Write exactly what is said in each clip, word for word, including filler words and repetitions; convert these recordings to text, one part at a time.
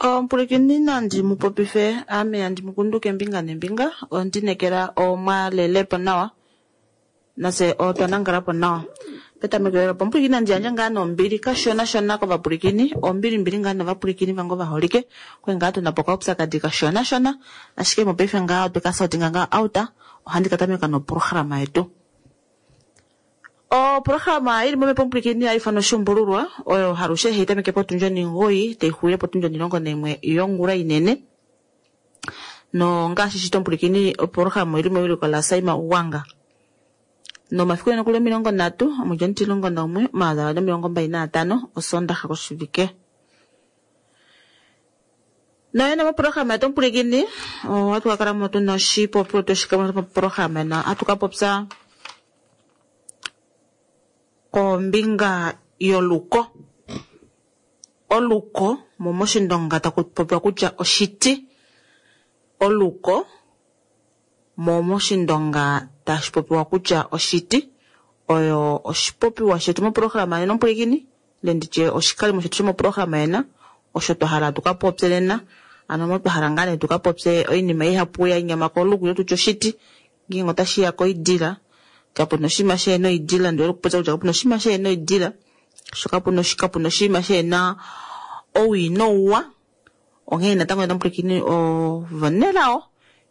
Omupulikini nandi mupopife ame andi mukunduke mbinga nembinga ondinekela omwalelepo nawa nafye otwa nangalapo nawa. Petameko lela opo omupulikini nandi yandje ngaa nombili kashona shona kovapulikini, ombili mbili ngaa novapulikini vange ovaholike okwali ngaa tunapo okaupyakadi kashona shona ashike mopaife ngaa otwe kasortinga ngaa out, ohandi katameka noprograma yetu. Oprograma ili momhepo omupulikini hayi ifanwa Oshuumbululwa oyo halushe hayi tameke potundi onhingoyi tayi xulile potundi onhilongo naimwe yongula inene. Nongaashi shito omupulikini oprograma oili mewiliko la Saima Ugwanga. Nomafiku ene okuli omilongo nhatu omwedi omutilongo naumwe omayovi avali nomilongo mbali naatano osondaxa koshivike. Noyene moprograma yetu omupulikini ohatu kakalamo tuna oshipopiwa tweshikamo moprograma na ohatu kapopya kombinga yoluko. Oluko mo moshindonga taku popiwa kutya oshiti. Oluko mo moshindonga tashi popiwa kutya oshiti oyo oshipopiwa shetu moprograma yena omupulikini ile nditye oshikalimo shetu shomoprograma yena osho twa hala tukapopye nena. Ano mo twa hala ngaa nee tukapopye oinima ihapu ya nyama koluko ile tutye oshiti ngeenge otashiya koidila kapuna oshinima shehena oidila ndiwete okupopya kutya kapuna oshinima shehena oidila sho kapuna kapuna oshinima shehena owii nouwa. Onghee natango nena omupulikini ovanelao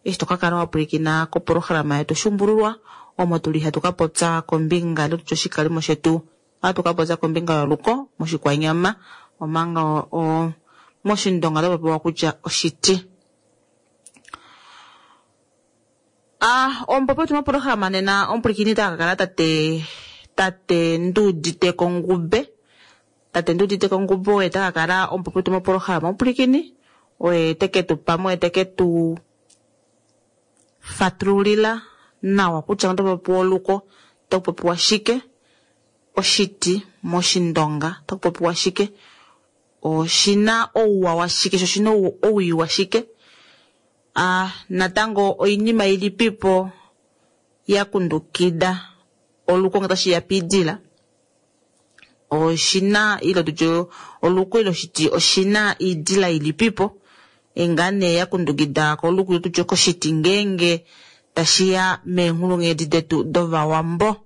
eshi tokakala wapulikina koprograma yetu Oshuumbululwa omo tuli hatu kapopya kombinga ile tutye oshikalimo shetu ohatu kapopya kombinga yoluko moshikwanyama omanga o moshindonga otapopiwa kutya oshiti. Ah, omupopi wetu moprograma nena omupulikini otakakala tate tate Nduuditeko Ngube. Tate Nduuditeko Ngube oye takakala omupopi wetu moprograma omupulikini oye teke tu pamwe oye teke tu fatululila nawa kutya otapopiwa oluko otakupopiwa shike, oshiti moshindonga otakupopiwa shike, oshina ouwa washike sho oshina owii washike. Ah, natango oinima ilipipo ya kundukida oluko ngee tashiya piidila oshina ile tutye oluko ile oshiti oshina iidila ilipipo ngaa nee ya kundukida koluko ile tutye koshiti ngeenge tashiya meenghulunghedi detu dovawambo.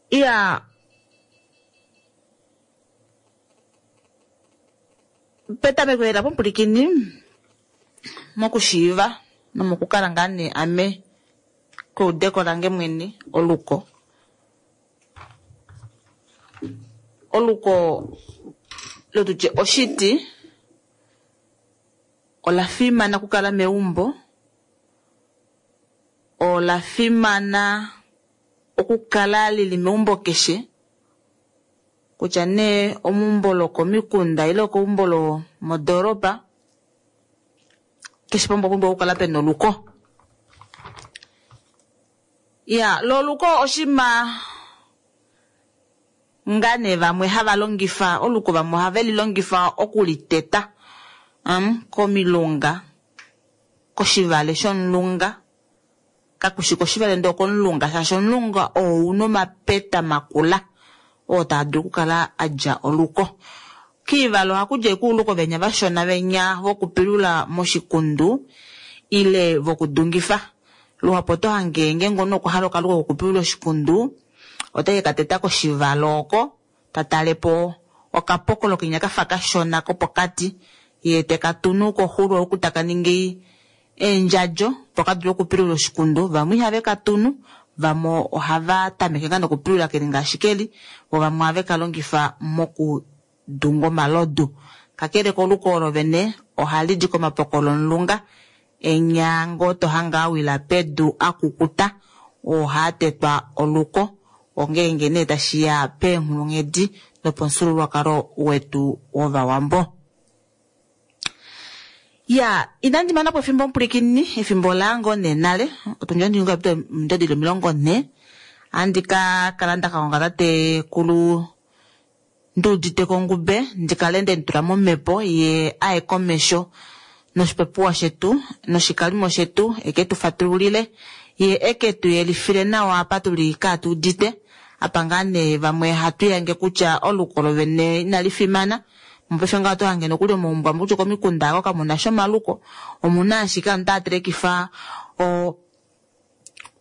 Iya, petameko lela pomupulikini mokushiiva nomokukala ngaa nee ame keudeko lange mwene oluko. Oluko ile tutye oshiti ola fimana okukala meumbo, ola fimana okukala lili meumbo keshe kutya nee omeumbo lokomikunda ile okeumbo lomodoropa keshe pamwe opumbwa okukala pena oluko. Iya, lo oluko oshinima ngaa nee vamwe hava longifa oluko vamwe ohave lilongifa okuliteta um, komilunga koshivale shomulunga kakushi koshivale ndee okomulunga shaashi omulunga oo una omapeta makula oo taa dulu okukala adja oluko. Kiivalo ohaku di uluko venya vashona venya vokupilula moshikundu ile vokudungifa. Luhapu oto hange ngeenge omunhu okwa hala okaluko kokupilula oshikundu oteke kateta koshivalo oko tatalepo okapokolo kenya kafa kashona kopokati yee tekatunu koxulo oku taka ningi eendjadjo opo kadule okupilula oshikundu. Vamwe ihave katunu, vamwe ohava tameke ngaa nokupilula keli ngaashi keli, vo vamwe ohave kalongifa mokudunga omalodu. Kakele koluko olo vene ohali di komapokolo omulunga enyango tohange awila pedu akukuta oo haatetwa oluko ongeenge nee tashiya peenghulunghedi dopamufyuululwakalo wetu wovawambo. Ya, inandi mana po efimbo omupulikini, efimbo ola nee nale, otundi onhingo omilongo nhee, ohandi ka kala ndaka tatekulu Nduuditeko Ngube ndikale ndemutula momhepo ye aye komesho noshipopiwa shetu noshikalimo shetu eke tu fatululile ye eke tu yelifile nawa apa tuli kaatuudite Apa ngaa nee vamwe hatu yange kutya oluko lovene inali fimana. Mopaife ngaho oto hange nokuli omaumbo amwe kutya komikunda ako kamuna sha omaluko, omuna ashike aantu taya telekifa o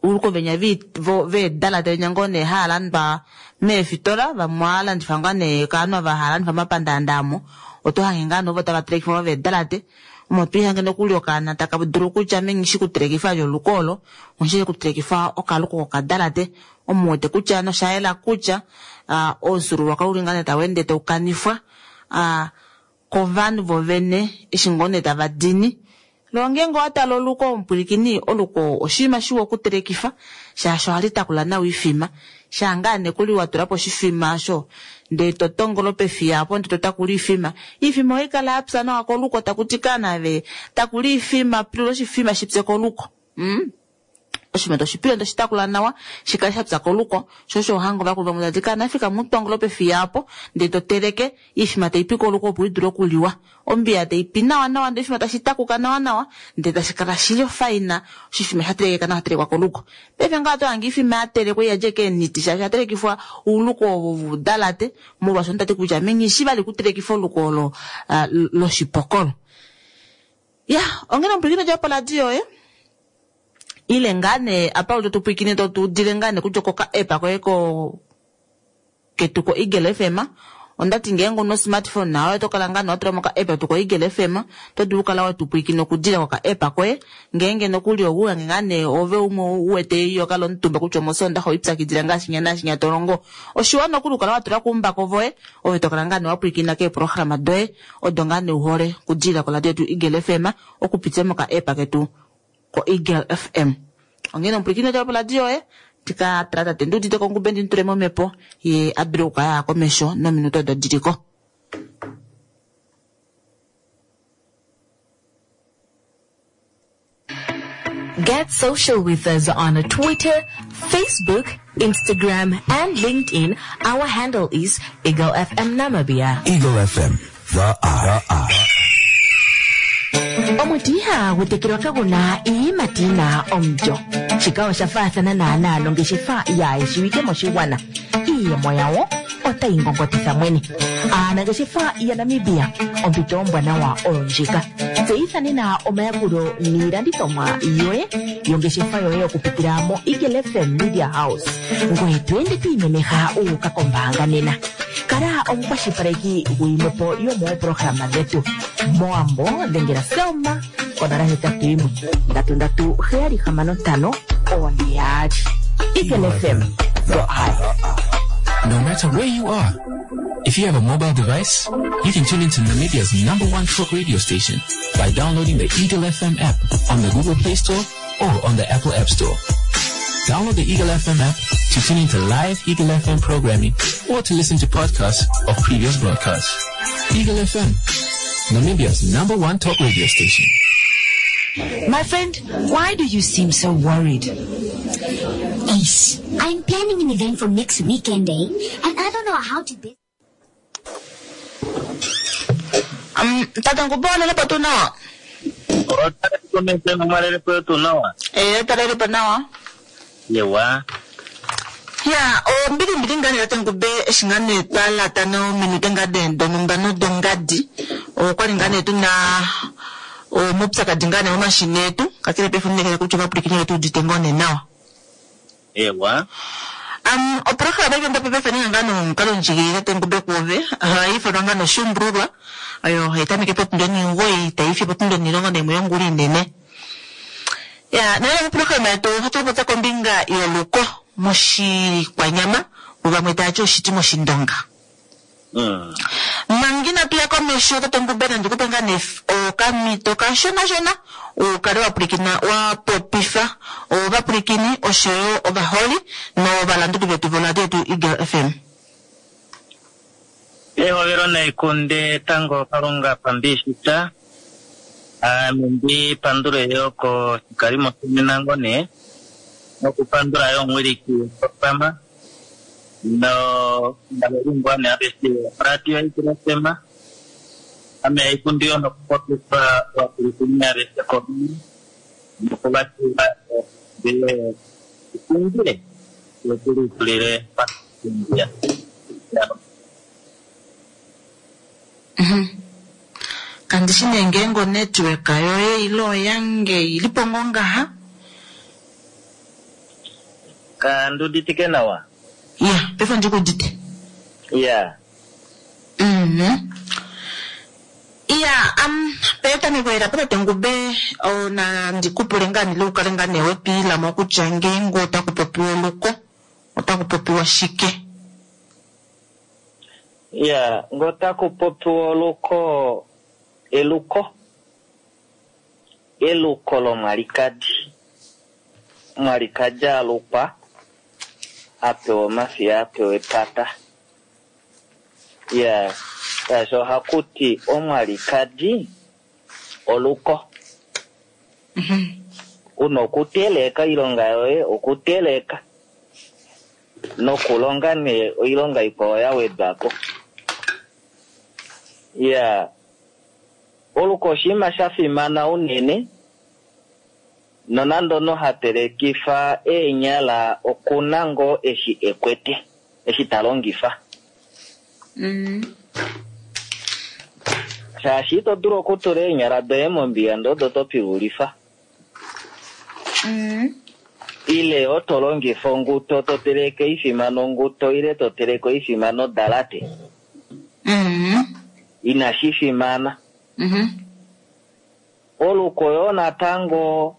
uluko venya veedalate venya ngoo nee haya landwa meefitola, vamwe ohaya landifa ngaa nee kaanhu ava haya landifa momapandaanda amo, oto hange ngaa nee ovo tava telekifa ovo veedalate. Omo twiihange nokuli okaana taka dulu kutya ame nghishi kutelekifa vali oluko olo, onghishi kutelekifa okaluko kokadalate. Omu wete kutya nosha yela kutya omufyuululwakalo uli ngaa nee tau ende tau kanifwa kovanhu vovene eshi ngoo nee tava dini. Loo ngeenge owa tala oluko omupwilikini, oluko oshinima shiwa okutelekifa shaashi ohali takula nawa oifima. Shaa ngaa nekuli wa tula po oshifima osho ndee to tongolo pefiya apo ndee to takula oifima, oifima ohayi kala ya pya nawa koluko, taku ti kanave takula oifima, pilula oshifima shipye koluko. Mm? Oshifima toshipile toshi takula nawa shikale sha pya koluko, sho osho ohanga ovakulu vamwe tati kana fika mutongolo pefiya apo ndee to teleke oifima taipi koluko opo idule okuliwa. Ombiya taipi nawa nawa ndee oshifima tashi takuka nawa nawa ndee tashi kala shili ofaina, oshifima sha telekeka nawa telekwa koluko. Paife ngaho oto hange oifima ya telekwa iyadja keeniti shaashi oya telekifwa ouluko ovo vudalate, molwaashi tati kutya ame nghishi vali kutelekifa oluko olo loshipokolo. Ya, onghene omupwilikini odja poradio yoye ile ngaa nee apa uli topwilikine totuudile ngaa nee kutya okoka app koye ko ketu ko Eagle F M. Ondati ngeenge una smartphone nawe oto kala ngaa nee watula moka app tu ko Eagle F M, oto dulu okukala watupwilikina okudila koka app koye. Ngeenge nokuli ouwange ngaa nee ove umwe uwete iyo kala omutumba kutya omosondaxa oipyakidila ngaashi nya naashi nya to longo. Oshiwa nokuli okukala watula kuumbako voye, ove to kala ngaa nee wapwilikina keeprograma doye odo ngaa nee uhole okudila koradio yetu Eagle F M okupitila moka app ketu ko Eagle F M. Onghene omupwilikini odja poradio yoye tika tala tate nduudite kongube ndi mutule momhepo ye a dule okukala aya komesho nominute odo diliko. Get social with us on Twitter, Facebook, Instagram, and LinkedIn. Our handle is Eagle F M Namibia. Eagle F M, the eye. The eye. Omuti ihagu tekelwa kaguna iiyimati yina omulyo. Shika osha faathana naanaa nongeshefa yaayeshiwike moshigwana. Iiyemo yawo otayi ngongotitha mwene. Aanangeshefa yaNamibia, ompito ombwanawa oyo ndjika. Tseyitha nena omayakulo niilandithomwa yoye yongeshefa yoye okupitila mo Eagle F M Media House. Ngoye to ende to imemeha u uka kombaanga nena. Kala omukwashilipaleki gwiimwepo yomooprograma dhetu. Moambo dhengela Selma konola hetatu yimwe ndatu ndatu heyali hamano ntano one yaali. Eagle F M, the eye. No matter where you are, if you have a mobile device, you can tune into Namibia's number one talk radio station by downloading the Eagle F M app on the Google Play Store or on the Apple App Store. Download the Eagle F M app to tune into live Eagle F M programming or to listen to podcasts of previous broadcasts. Eagle F M, Namibia's number one talk radio station. My friend, why do you seem so worried? Ace, I'm planning an event for next weekend, eh? And I don't know how to be. Um, tata ngubona lepo tu nawa? Eh, tata lepo nawa. Yewa. Ya, o mbili mbili ngani tata ngube shingane twala tano minute ngade donumba no dongadi. O kwali ngane tu na o mupyakadhi ngane momashina etu, kakele pefo ndekele kutya ovapwilikini vetu udite ngoo nee nawa. Ewa. Um, oprograma ike ndope pefo ninga ngano omukalo ndjigilile tate Ngube kuove, ohayi ithanwa ngano Oshuumbululwa, oyo hayi tameke potundi omugoyi tayi fi potundi omulongo nayimwe yongula inene. Ya, nale moprograma yetu ohatu popya kombinga yoluko moshikwanyama, vamwe taya ti oshiti moshindonga. Mm. Manga inatu ya komesho tate Ngube nandi kupe ngaa nee okamito kashonashona ukale wa pwilikina wa popifa ovapwilikini oshoyo ovaholi novalanduli vetu voradio yetu Eagle F M. Ehovelo naikunde tango Kalunga pambishita. Ame ndi pandule yo koshikalimo shomenango nee nokupandula yo omuwiliki wopama no ndalelimbwa ne aveshe radio Eagle F M. Ame aikundi yo nokupopifa ovapwilikini aveshe komini nokuvatiwa ndele ikundile yotulitulile Mhm. Kandi shi nee ngeenge onetwork yoye ile oyange ili po ngoo ngaha. Kandi uditike nawa. Ya, paife ondi ku udite. Ya. Mhm. Iya, um, petameko ela tate Ngube ona ndikupule ngaa nile ukale ngaa nee wepiilamo kutya ngeenge otaku popiwa oluko otaku popiwa shike. Ya, ngo otaku popiwa oluko eluko eluko lomwalikadi. Omwalikadi alukwa apewa omafiya apewa epata. Ya, shaashi ohaku ti omwalikadi oluko. Una okuteleka oilonga yoye okuteleka nokulonga nee oilonga ikwao ya wedwa po. Ya, oluko oshinima sha fimana unene nonande omunhu ha telekifa eenyala okuna ngoo eshi ekwete eshi ta longifa. Mm. Shaashi ito dulu okutula eenyala doye mombiya ndee odo to pilulifa. Mm. Ile oto longifa onguto to teleke oifima nonguto ile to teleke oifima nodalate. Mm. Inashi fimana. Mhm. Oluko yoo natango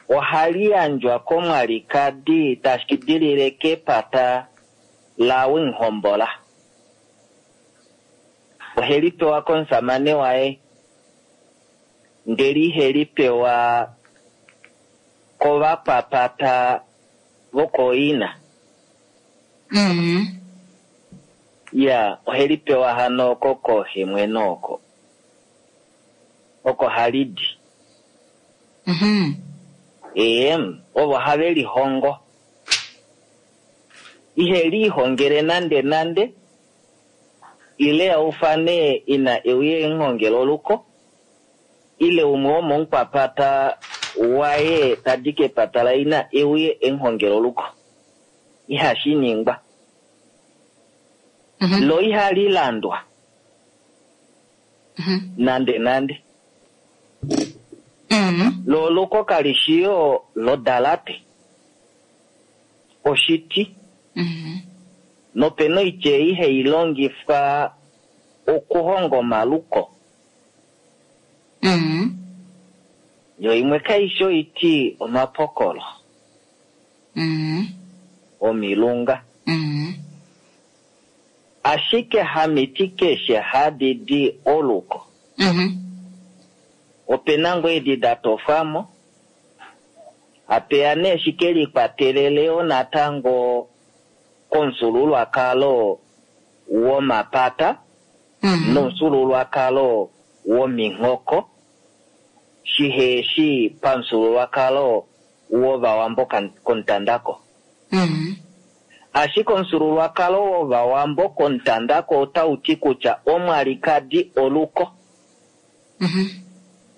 ohali yandjwa komwalikadi tashi dilile kepata laWinghombola. Oheli pewa komusamane waye ndele iheli pewa kovakwapata vokooina. Mm. Ya, oheli pewa hano oko kooxemweno oko. Oko hali di. Mhm. Ee, ovo have lihongo. Ihe lihongele nande nande ile aufane ina euye enhongelo oluko ile umwe womomukwapata waye tadi kepata laina euye enhongelo oluko. Ihashi ningwa. Mhm. Lo ihali landwa Mhm. nande nande. Mhm. Lo oluko kali shi yo lodalate. Oshiti. Mhm. Nopena oitya ei hai longifwa okuhonga omaluko. Mhm. Yo imwe kaishi oiti omapokolo. Mhm. Omilunga. Mhm. Ashike hamiti keshe hadi di oluko. Mhm. Opena ngoo edi da tofwamo. Apeya nee shike likwatelele yo natango komufyuululwakalo womapata Mhm. nomufyuululwakalo wominghoko shiheshi pamufyuululwakalo wovawambo komutandako. Mhm. Ashike omufyuululwakalo wovawambo komutandako otau ti kutya omwalikadi oluko. Mhm.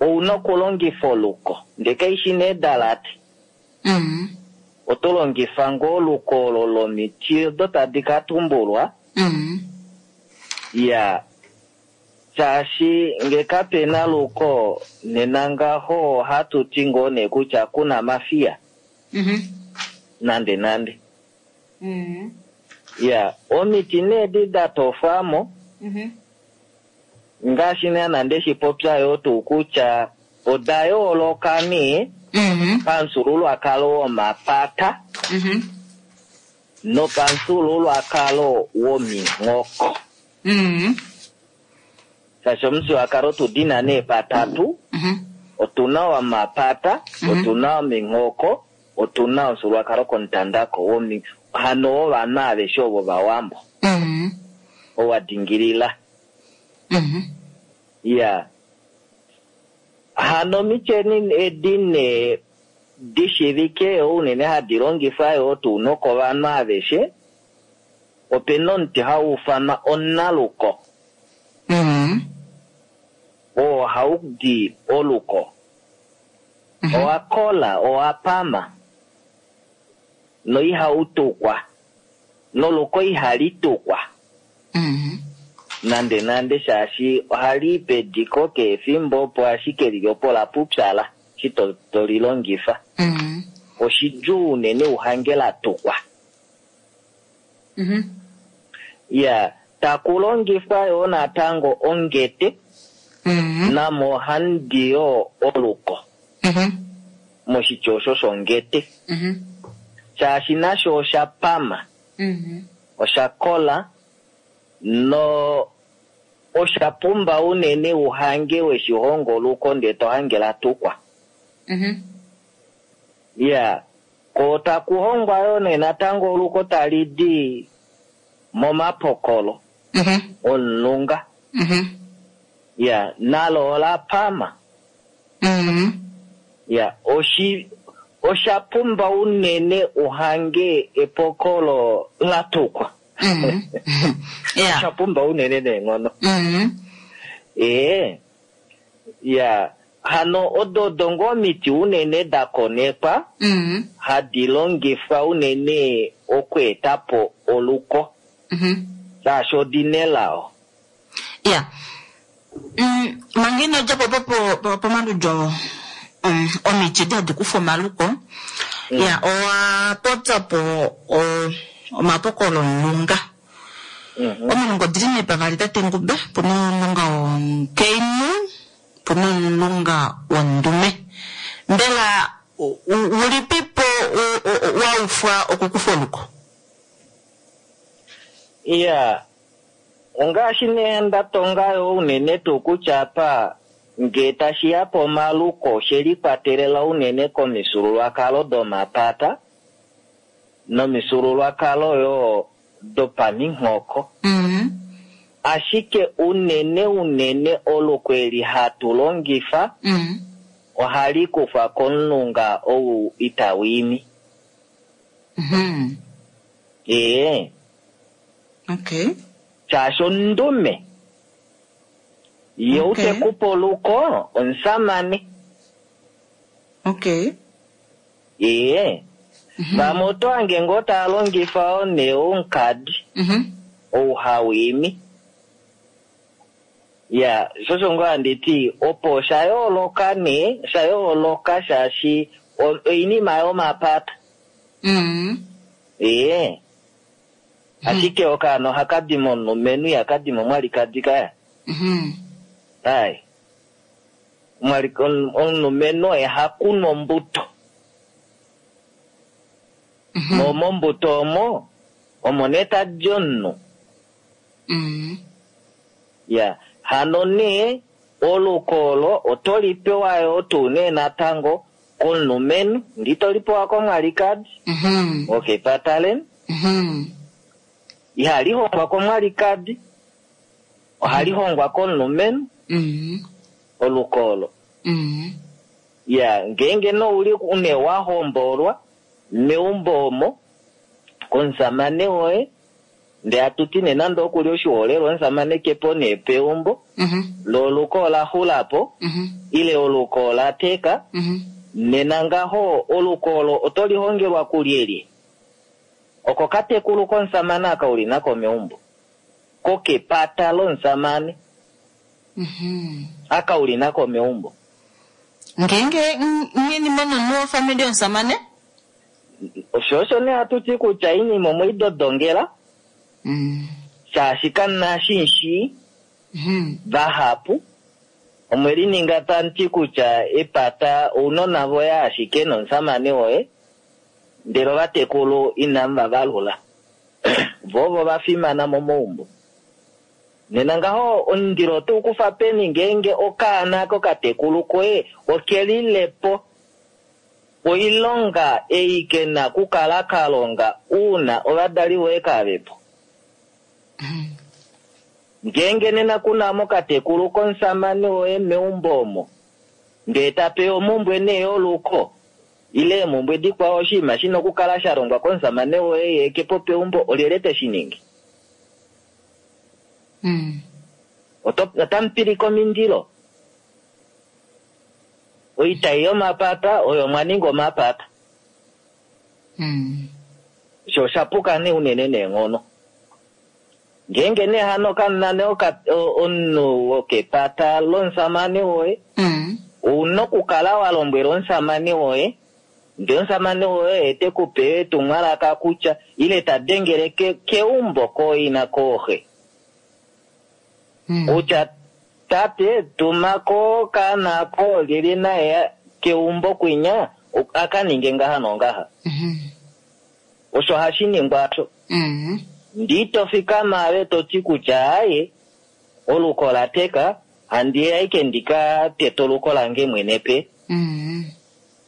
Ouna okulongifa oluko ndee kaishi nee dalate. Mhm. Oto longifa ngoo oluko olo lomiti odo tadi ka tumbulwa. Mhm. Ya, shaashi nge kapena luko nena ngaho ohatu ti ngoo nee kutya kuna mafiya. Mhm. Nande nande. Mhm. Ya, omiti nee edi da tofwamo Mhm. ngaashi nee nande shipopya yoo tuu kutya oda yooloka nee Mhm. pamufyuululwakalo womapata Mhm. nopamufyuululwakalo wominghoko. Mhm. Shaashi omufyuululwakalo tudina nee patatu, Mhm. otuna womapata, Mhm. otuna wominghoko, otuna omufyuululwakalo komutandako womi hano wovanhu aveshe ovo vawambo. Mhm. Owa dingilila. Mhm. Ya. Hano omityeni edi nee dishivike unene hadi longifwa yoo tuu nokovanhu aveshe, opena omuti hau ufanwa onaluko. Mhm. Oo hau di oluko. Mhm. Owa kola, owa pama. Noihau tukwa. Noluko ihali tukwa Mhm. nande nande shaashi ohali i pediko keefimbo opo ashike lili opo la pupyala eshi to, to li longifa. Mhm. Oshidjuu unene uhange la tukwa. Mhm. Ya, taku longifwa yoo natango ongete Mhm. namo ohandi yoo oluko Mhm. moshitya osho shongete Mhm. shaashi nasho osha pama Mhm. osha kola no osha pumba unene uhange weshihongo oluko ndee to hange la tukwa. Mhm. Ya, ko taku hongwa yoo nee natango oluko tali di momapokolo Mhm. omulunga. Mhm. Ya, nalo ola pama. Mhm. Ya, oshi osha pumba unene uhange epokolo la tukwa. Mhm. Ya. Osha pumba unene neenghono. Mhm. Ee. Ya, hano odo odo ngoo omiti unene da konekwa Mhm. hadi longifwa unene okweeta po oluko Mhm. shaashi odi nelao. Ya. Mm, manga ino dja po po- po- pomaludyo mm, omiti edi hadi kufa omaluko ya owa popya po o- omapokolo omulunga. Mhm. Omilunga odili nee pavali tate Ngube, puna omulunga womukainhu, puna omulunga wondume. Mbela u- u- ulipipo u- u- wa ufwa okukufa oluko? Ya, ongaashi nee nda tonga yo unene tuu kutya apa ngee tashi ya pomaluko oshe likwatelela unene komifyuululwakalo domapata nomifyuululwakalo yo dopaminghoko. Mhm. Ashike unene unene oluko eli hatu longifa Mhm. ohali kufwa komulunga ou itau imi. Mhm. Ee, Okay. shaashi ondume ye Okay. utekupa oluko omusamane. Okay. Ee, vamwe oto hange ngoo taa longifa oo nee omukadi Mhm. ou hau imi. Ya, sho osho ngoo handi ti opo osha yooloka nee, osha yooloka shaashi o- oinima yomapata. Mhm. Ee, ashike okaana ohaka di momulumenhu ihaka di momwalikadi kaya. Mhm. Ai. Omwali- om- omulumenhu oye ha kunu ombuto. Mhm. Mo mombuto omo, omo nee tadi omunhu. Mhm. Ya, hano nee oluko olo oto li pewa yoo tuu nee natango komulumenhu, ndi to li pewa komwalikadi, Mhm. okepata leni. Mhm. Ihali hongwa komwalikadi, ohali hongwa komulumenhu Mhm. oluko olo. Mhm. Ya, ngeenge nouli une wa hombolwa meumbo omo komusamane woye, ndee atuti nee nande okuli oshiholelwa omusamane kepo nee peumbo, Mhm. lo oluko ola xula po, Mhm. ile oluko ola teka, Mhm. nena ngaho oluko olo oto lihongelwa kulyelye? Oko katekulu komusamane aka uli nako meumbo, kokepata lomusamane Mhm. aka uli nako meumbo. Ngeenge nyeni mono wofamili yomusamane? Osho osho nee hatuti kutya iinima omweidodongela Mm. shaashi kamuna shinshi Mhm. vahapu omwe lininga tamuti kutya epata ounona voye ashike nomusamane woye ndele ovatekulu inamu va valula vo ovo va fimana momaumbo. Nena ngaho omundilo otau kufa peni ngeenge okaana kokatekulu koye okelilepo oilonga ei kena okukala ka longa uuna ovadali voye kavepo. Ngeenge nena kuna mokatekulu komusamane woye meumbo omo ndee tapewa omumbwe nee yoluko ile emumbwe dikwao oshinima shina okukala sha longwa komusamane woye ye kepo peumbo olyelye teshi ningi? Mm. Oto- Otamupilike omindilo. Oitai yomapata oyo mwa ninga omapata. Mm. Osho Osho osha puka nee unene neenghono. Ngeenge nee hano kamuna nee oka- o- omunhu wokepata lomusamane woye, Mm. ouna okukala wa lombwela omusamane woye, ndee omusamane woye oye te ku pe etumwalaka kutya ile ta dengele ke, keumbo kooina kooxe. Mm. Kutya tate tuma ko okaana ko lili naye keumbo kwinya a ka ninge ngaha nongaha. Mhm. Osho hashi ningwa osho. Mm. Ndee ito fikama ave to ti kutya aye oluko la teka handi aike ndika tete oluko lange mwene pe. Mm.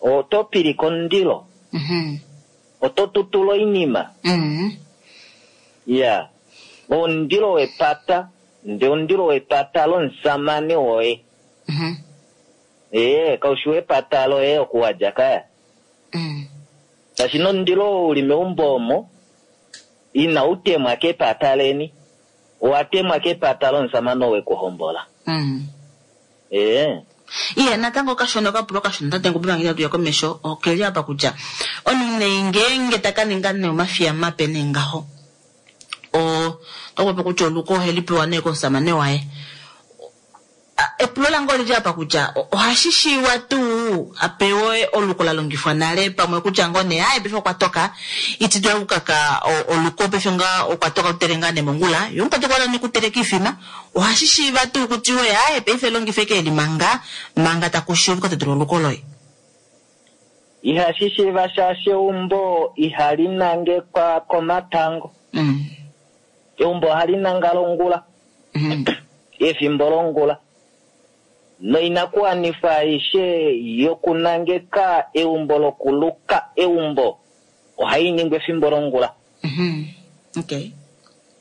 Oto pilika omundilo, Mhm. oto tutula oinima. Mm. Ya, omundilo wepata, ndee omundilo wepata lomusamane woye. Mhm. Ee, kaushi wepata loye okuwadja kaya. Mm. Shaashi nomundilo oo uli meumbo omo inau temwa kepata leni, owa temwa kepata lomusamane oo wekuhombola. Mm. Ee. Iye natango okashona okapulo okashona tate Ngube manga inatu ya komesho okeli apa kutya omunhu nee ngeenge taka ninga nee omafiya mape nee ngaho o otakupopi kutya oluko oheli pewa nee komusamane waye. A- Epulo lange olili apa kutya o- ohashi shiiwa tuu a pewe oluko la longifwa nale pamwe kutya ngoo nee aye paife okwa toka iti dula okukaka o- oluko paife nga okwa toka okutele ngaa nee mongula ye omukwati okwa hala nee okuteleka oifima ohashi shiiva tuu kutiwe aye paife longifa eke eli manga manga taku shiiva okukatetula oluko loye. Ihashi shiiva shaashi eumbo ihali nangekwa komatango. Mm. Eumbo ohali nangala ongula, Mhm. efimbo longula. Noinakuwanifwa aishe yokunangeka eumbo lokuluka eumbo ohai ningwa efimbo longula. Mhm. Okay.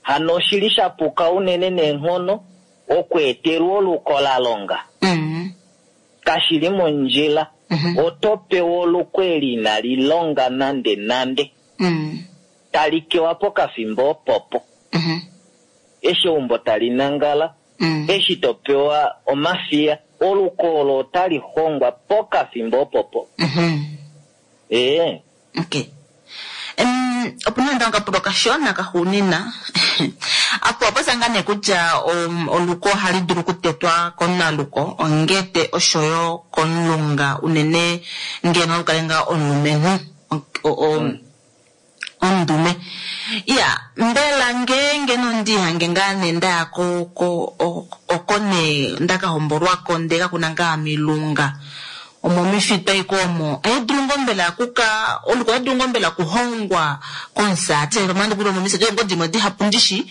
Hano oshili sha puka unene neenghono okweetelwa oluko la longa. Mm. Kashili mondjila. Mhm. Oto pewa oluko eli inali longa nande nande. Mm. Tali kewa pokafimbo opopo. Mhm. Eshi eumbo tali nangala, Mm. eshi to pewa omafiya, oluko olo otali hongwa pokafimbo opopo. Mhm. Ee. Okay. Um, opuna natango okapulo okashona kaxuunina apo opo ngaa nee kutya um, oluko ohali dulu okutetwa komunaluko ongete oshoyo komulunga unene ngeno olukale ngaa omulumenhu o- o- omundume. Iya, mbela ngeenge nondihange ngaa nee ndaya ko ko o- oko nee ndakahombolwako ndee kakuna ngaa milunga omo mifitwa iko omo ohadulu ngoo mbela kuka oluko ohadulu ngoo mbela kuhongwa komusati pamwe kuli omo misati ngoo dimwe dihapu ndishi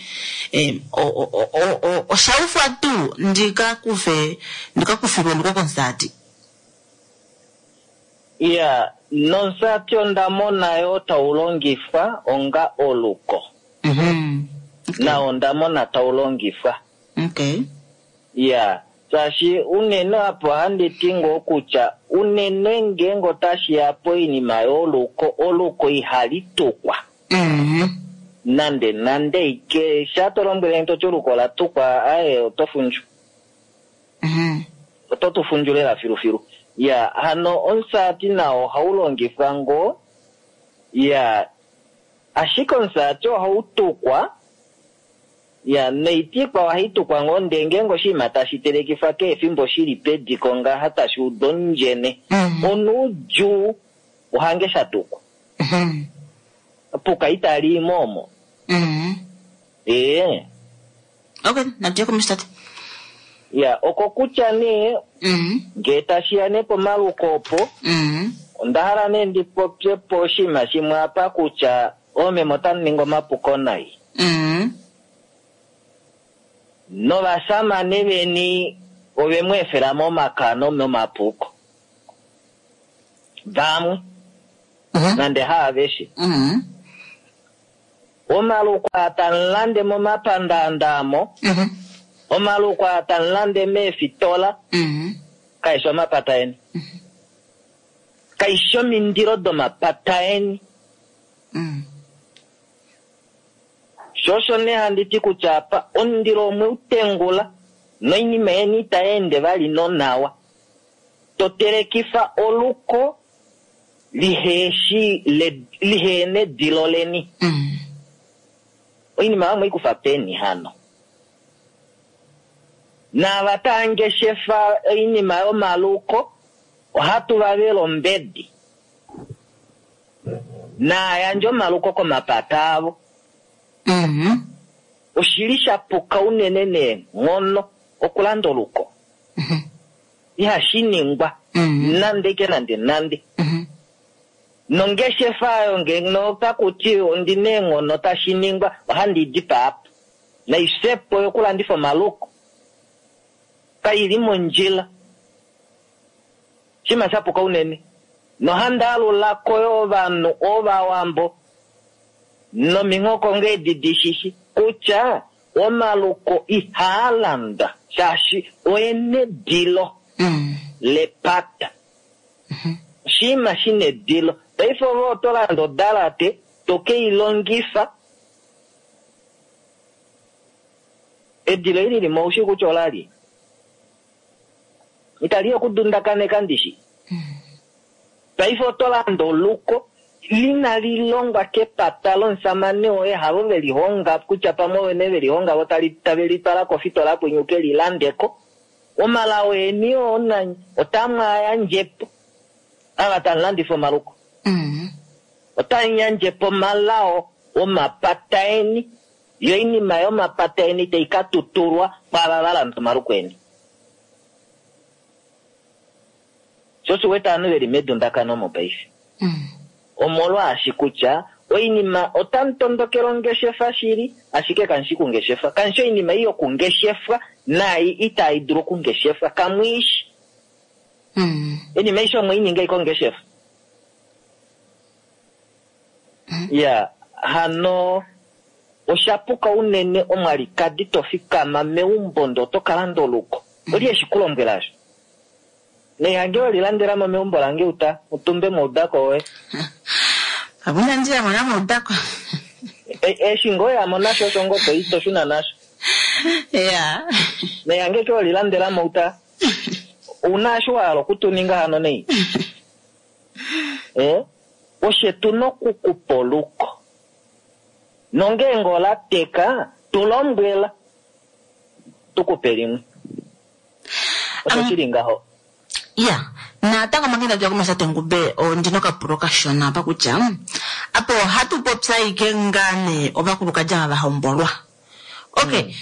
eh, o- o- o- o- oshaufwa tuu ndikakufe ndikakufilwe oluko komusati. Iya, nomusati onda mona yo tau longifwa onga oluko. Mhm. Okay. Nao onda mona tau longifwa. Okay. Iya, shaashi unene apo ohandi ti ngoo kutya unene ngeenge otashi ya poinima yoluko, oluko ihali tukwa. Mhm. Nande nande ike sha to lombwele toti oluko ola tukwa, aye oto fundju. Mhm. Oto tu fundju lela filufilu. Iya, hano omusati nao ohau longifwa ngoo. Iya, ashike omusati ohau tukwa. Iya, noitikwa ohai tukwa ngoo ndee ngeenge oshinima tashi telekifwa kehe efimbo shili pediko ngaha tashi uda ondjene. Mhm. Onuudjuu ohange sha tukwa. Mhm. Puka itali i mo omo. Mhm. Ee. Okay, natuye komesho tate. Iya, oko kutya nee Mhm. ngee tashiya nee pomaluko opo Mhm. onda hala nee ndi popye po oshinima shimwe apa kutya oomeme otamu ningi omapuko nai. Mhm. Novasamane veni ove mu efela momakano nomapuko. Vamwe, Mhm. nande haaveshe. Mhm. Omaluko aa tamu lande momapandaanda amo, Mhm. omaluko aa tamu lande meefitola, Mhm. kaishi omapata eni. Kaishi omindilo domapata eni. Mhm. Sho osho nee handi ti kutya apa omundilo omwe u tengula noinima yeni itai ende vali nonawa. To telekifa oluko Liheshi lihena edilo leni. Mm. Oinima oyo mweikufa peni hano? Naava tava ngeshefa oinima yomaluko ohatu va vele ombedi. Naayandje omaluko komapata avo. Mm. Oshili sha puka unene neenghono okulanda oluko. Mhm. Ihashi ningwa Mm. nande ke nande nande. Mhm. Nongeshefa oyo ngeno takuti ondina eenghono tashi ningwa ohandi dipaa apa. Naisepo yokulandifa omaluko kaili mondjila. Shima sha puka unene. Nohandi alulako yo ovanhu ovawambo nominghoko ngeedi dishishi kutya omaluko ihaa landwa shaashi oena edilo Mm. lepata. Oshinima shina edilo. Paife ove oto landa odalate toke i longifa. Edilo eli limo oushi kutya olali. Itali okudundakaneka ndishi. Paife oto landa oluko lina lilongwa kepata lomusamane woye havo velihonga kutya pamwe ovene velihonga vo tave litwala kofitola kwenye uke lilandeko. Omalawo eni oo nanye otamu a yandjepo ava tamu landifa omaluko. Mm. Otamu yandjepo omalao omapata eni yo oinima yomapata eni tai ka tutulwa kwaava va landa omaluko eni. Sho osho wete ovanhu veli medundakano mopaife. Mm. Omolwaashi kutya oinima otamu tondokele ongeshefa shili ashike kamushi kungeshefa. Kamushi oinima ei yokungeshefwa naai itai dulu okungeshefwa kamwiishi. Mm. Oinima aishe omweininga ike ongeshefa. Ya hano oshapuka unene omwalikadi tofikama meumbo ndee oto kalanda oluko. Oli eshi kulombwela asho. Neihange welilandelamo meumbo lange uta utumbe moudako woye. Pamwe inandi yamo moudako. Eshi ngoo yamo nasho osho ngoo toi toshuna nasho. Ya. Neihange ke welilandelamo uta. Ouna eshi wahala okutuninga hano nei. Eh? Oshe tuna okukupa oluko. Nongeenge ola teka tulombwela tukupe limwe. Osho shili ngaho. Ya, natango manga inatu ya komashate ngube ondina okapulo kashona apa kutya apo ohatu popya ike ngaa nee ovakulukadi ava vahombolwa. Okay.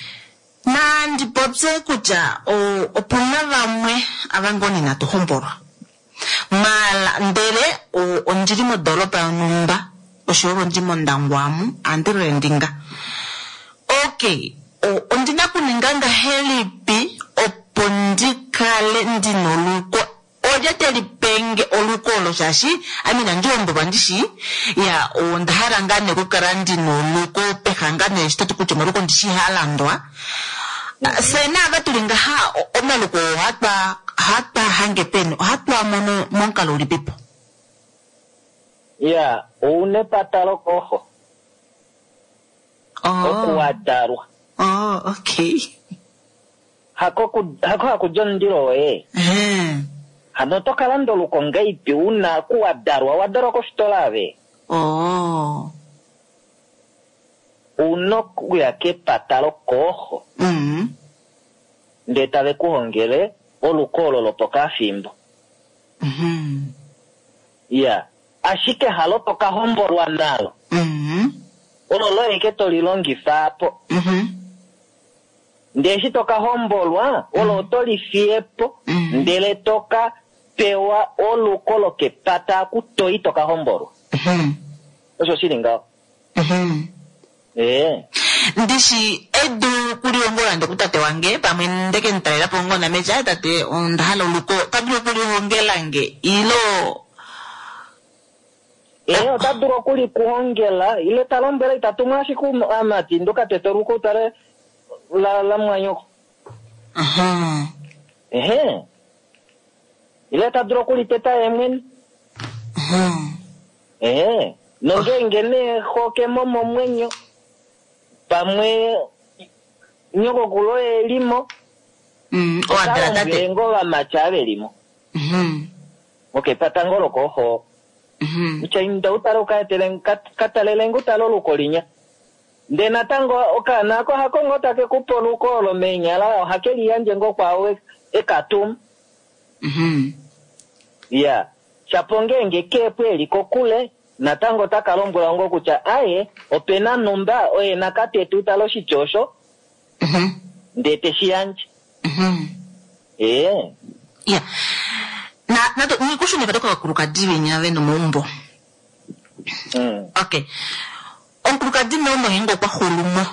Nandi popye kutya opuna vamwe ava ngoo nee inatu hombolwa. Mala ndele ondili modoropa yonhumba oshoyo ondi mOndangwa amu ohandi rendinga. Okay, ondina okuninga ngahelipi opo ndikale ndina oluko olye teli penge oluko olo shaashi ame inandi hombolwa ndishi ya onda hala ngaa nee okukala ndina oluko peha ngaa nee eshi toti kutya omaluko ndishi ihaa landwa. Fye naava tuli ngaha omaluko ohatwa ohatwa hange peni ohatwa mono momukalo ulipipo? Ya, ouna epata lokoxo. Okuwadalwa. Oh, okay. Hako hako hakudja omundilo woye. Hano oto kalanda oluko ngahelipi una kuwadalwa wadalwa kofitola ave. Oh. Ouna okuya kepata lokooxo. Mm. Ndee tave kuhongele oluko olo lopokafimbo. Mhm. Ya, ashike halo tokahombolwa nalo. Mhm. Olo loye ke tolilongifa apo. Mhm. Ndee eshi tokahombolwa olo oto lifiyepo ndele toka pewa oluko lokepata aku toi tokahombolwa. Mhm. Osho shili ngaho. Mhm. Ee. Ndishi edu kulihongola nde kutate wange pamwe ndeke mutalelapo ngoo name tate onda hala oluko ota dulu okulihongela nge ilo Ee, ota dulu okulikuhongela ile ta lombwele itatumwa ashike amati ndoka tete oluko utale la la mwanyoko. Mhm. Ehe. Ile ta dulu okuliteta ye mwene. Mhm. Ehe. Nongeenge nee xokemo momwenyo pamwe nyokokulu elimo Mm, owadala tate. ngoo vamati ave limo. Mhm. Okepata ngoo lokooxo. Mhm. Kutya inda utale ukaetele ka talele utale oluko linya. Ndee natango okaana ako hako ngoo take kupe oluko olo meenyala ohake liyandje ngoo kwaao ekatuma. Mhm. Ya, shapo ngeenge keepo eli kokule natango otaka lombwelwa ngoo kutya aye opena numba oye nakatete utale oshiti osho Mhm. ndee teshi yandje. Mhm. Ee. Ya. Na nato nikushunifa tokovakulukadi venya ve nomaumbo. Mm. Okay. Omukulukadi meumbo ngeenge okwa xulumo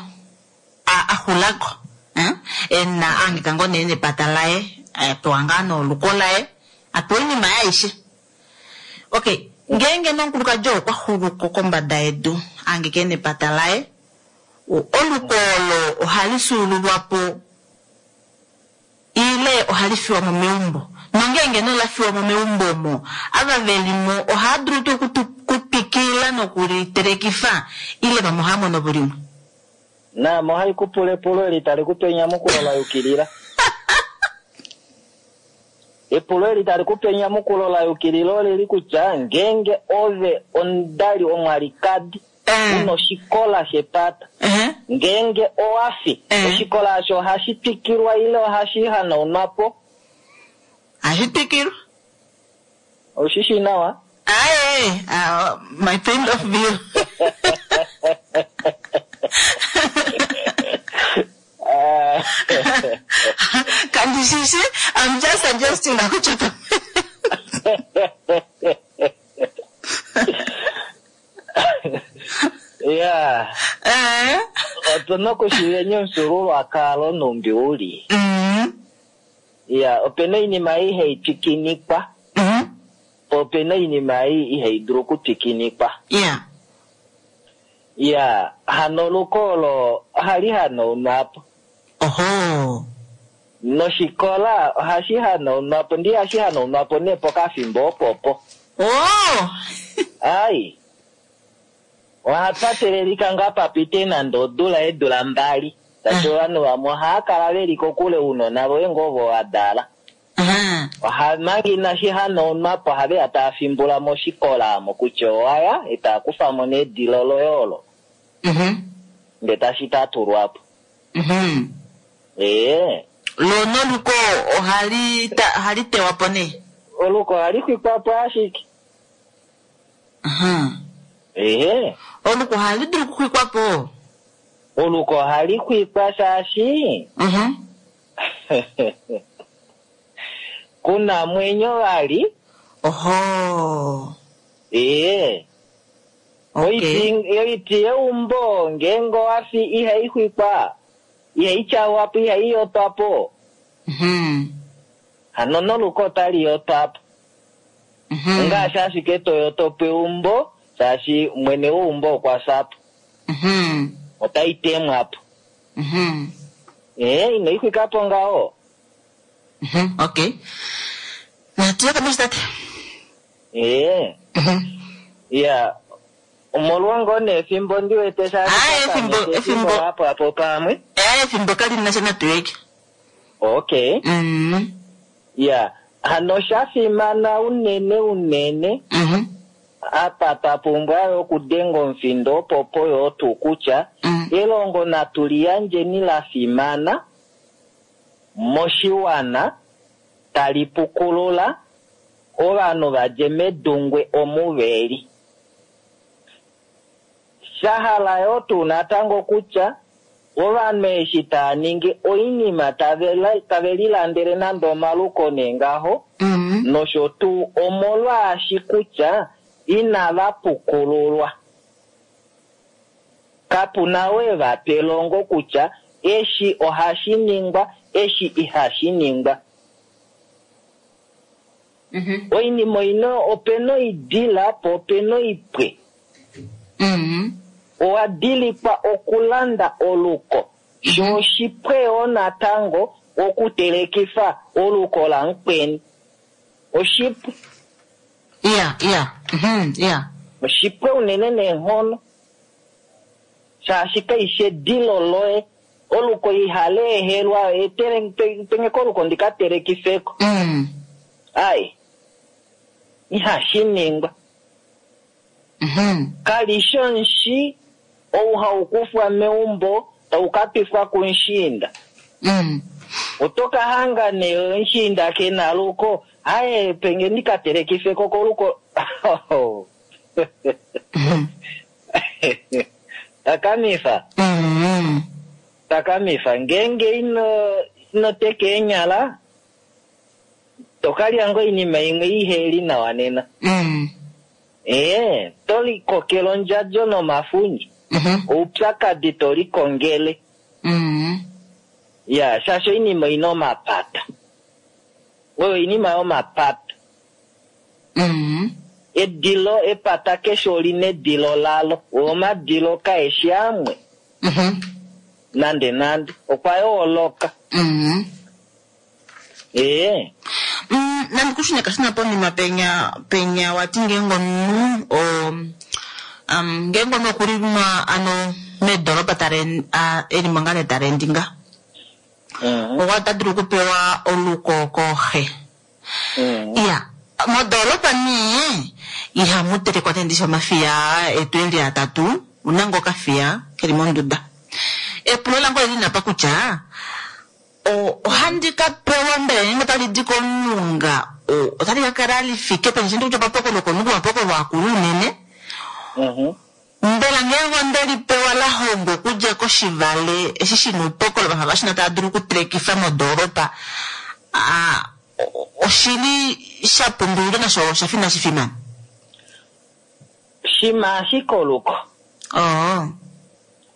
a a xulako eh? ena ahangika ngoo nee nepata laye apewa ngaa noluko laye apewa oinima yaye aishe. Okay, ngeenge nee omukulukadi oo okwa xuluko kombada yedu ahangika ena epata laye o- oluko olo ohali fyuululwa po ile ohali fiwa mo meumbo nongeenge nee ola fiwa mo meumbo omo ava velimo ohava dulu tuu okutu- okutwikila nokulitelekifa ile vamwe ohava mono po limwe. Naame ohai kupula epulo eli tali kupe enyamukulo la yukilila. Epulo eli tali kupe enyamukulo la yukilila oleli kutya ngeenge ove omudali omwalikadi Eh. una oshikola shepata Ehe. ngeenge owafi Eh. oshikola osho ohashi twikilwa ile ohashi hanaunwa po Hashi twikilwa. Oushi nawa? Aye, uh, my point of view. Ah, Kandishishi, I'm just suggesting kutya ya Eh. otuna okushiiva omufyuululwakalo numbi uli. Mm. Ya, opena oinima ei ihai twikinikwa Mm. po opena oinima ei ihai dulu okutwikinikwa. Yeah. Ya, hano oluko olo ohali hanaunwa po. Oho. Noshikola ohashi hanaunwa po, ndee ihashi hanaunwa po nee pokafimbo opopo. Oh. Ai. Ohapa telelika ngaa papite nande odula eedula mbali. Shaashi ovanhu vamwe ohava kala veli kokule ounona voye ngoo ovo wa dala. Aha. Oha manga inashi hanaunwa po ohaveya tava fimbula moshikola omo kutya owaya e tava kufa mo nedilo loye olo Mhm. ndee tashi tatulwa po. Mhm. Ee, Lo noluko ohali ta, ohali tewa po nee. oluko ohali xwikwa po ashike. Aha. Ehe, Oluko ohali dulu okuxwikwa po. oluko ohali xwikwa shaashi Mhm. kuna mwenyo vali. Oho. Ee. Okay. Oiti oiti yeumbo ngeenge owafi ihai xwikwa, ihai tyawa po, ihai yotwa po. Mhm. Hano noluko otali yotwa po. Mhm. Ongaashi ashike toyoto po eumbo, shaashi mwene weumbo okwa fya po. Mhm. Otai temwa po. Mhm. Ee, ino i xwika po ngaho. Mhm. Okay. Natu ye komesho tate. Ee, Mhm. ya. Omolwa ngoo nee efimbo ndi wete shaashi Aye, efimbo- twatameke efimbo- apo apo pamwe. Eh, efimbo kali na sha natu yeke. Okay. Mhm. Ya. Hano sha fimana unene unene Mhm. apa twa pumbwa yo okudenga omufindo opopo yo tuu kutya Mm. elongo natu liyandjeni la fimana moshiwana tali pukulula ovanhu vadje medungwe omu veli. Sha hala yo tuu natango kutya ovanhu eshi tava ningi oinima tave la- tave lilandele nande omaluko nee ngaho Mhm. nosho tuu omolwaashi kutya inava pukululwa. Kapuna we va pa elongo kutya eshi ohashi ningwa, eshi ihashi ningwa. Mhm. Oinima oina opena oidila po opena oipwe. Mhm. Owa dilikwa okulanda oluko. Sho oshipwe yoo natango okutelekifa oluko lamukweni. Oshipwe. Yeah, yeah. Mhm. Yeah. Oshipwe unene neenghono. Shaashi kaishi edilo loye. Oluko ihali ehelwa etele penge oluko ndika telekifeko. Mm. Ai. Ihashi ningwa. Mhm. Kali shi omushi ou hau kufwa meumbo tau ka twifwa kumushiinda. Mm. Oto ka hanga nee omushiinda ke na luko, aye penge ndika telekife ko koluko. Mhm. Takamifa, Mm. takamifa. Ngeenge ino ino teka eenyala, to kalya ngoo oinima imwe iheli nawa nena. Mm. Ee, to likokele ondjadjo nomafundja. Mhm. Oupyakadi to likongele. Mm. Ya, shaashi oinima oina omapata. Oyo oinima yomapata. Mm. Edilo epata keshe olina edilo lalo. Omadilo kaeshi amwe. Mhm. Nande nande. Okwa yooloka. Mm. Ee. Mm, nandi kushune kashina ponima penya penya wati ngeenge omunhu o um, ngeenge omunhu okuli ma ano meedoropa tare a- eli mo ngaa nee tarendi nga Mhm. okwa ota dulu okupewa oluko kooxe. Mhm. Iya, modoropa nee ihamu telekwa nee ndishi omafiya etu eli atatu, una ngoo okafiya keli monduda. Epulo lange olili napa kutya o- ohandi ka pewa mbela ngeenge otali di komulunga o- otali ka kala lifike peni shindi kutya omapokolo okomulunga omapokolo akulu unene. Mhm. Mbela ngeenge onde li pewa la hongwa okudja koshivale eshi shina oupokolo vafa vashina tava dulu okutelekifa modoropa, ah, o- oshili sha pumbiwa nasho osha fi inashi fimana? Shima ashike oluko. Oh.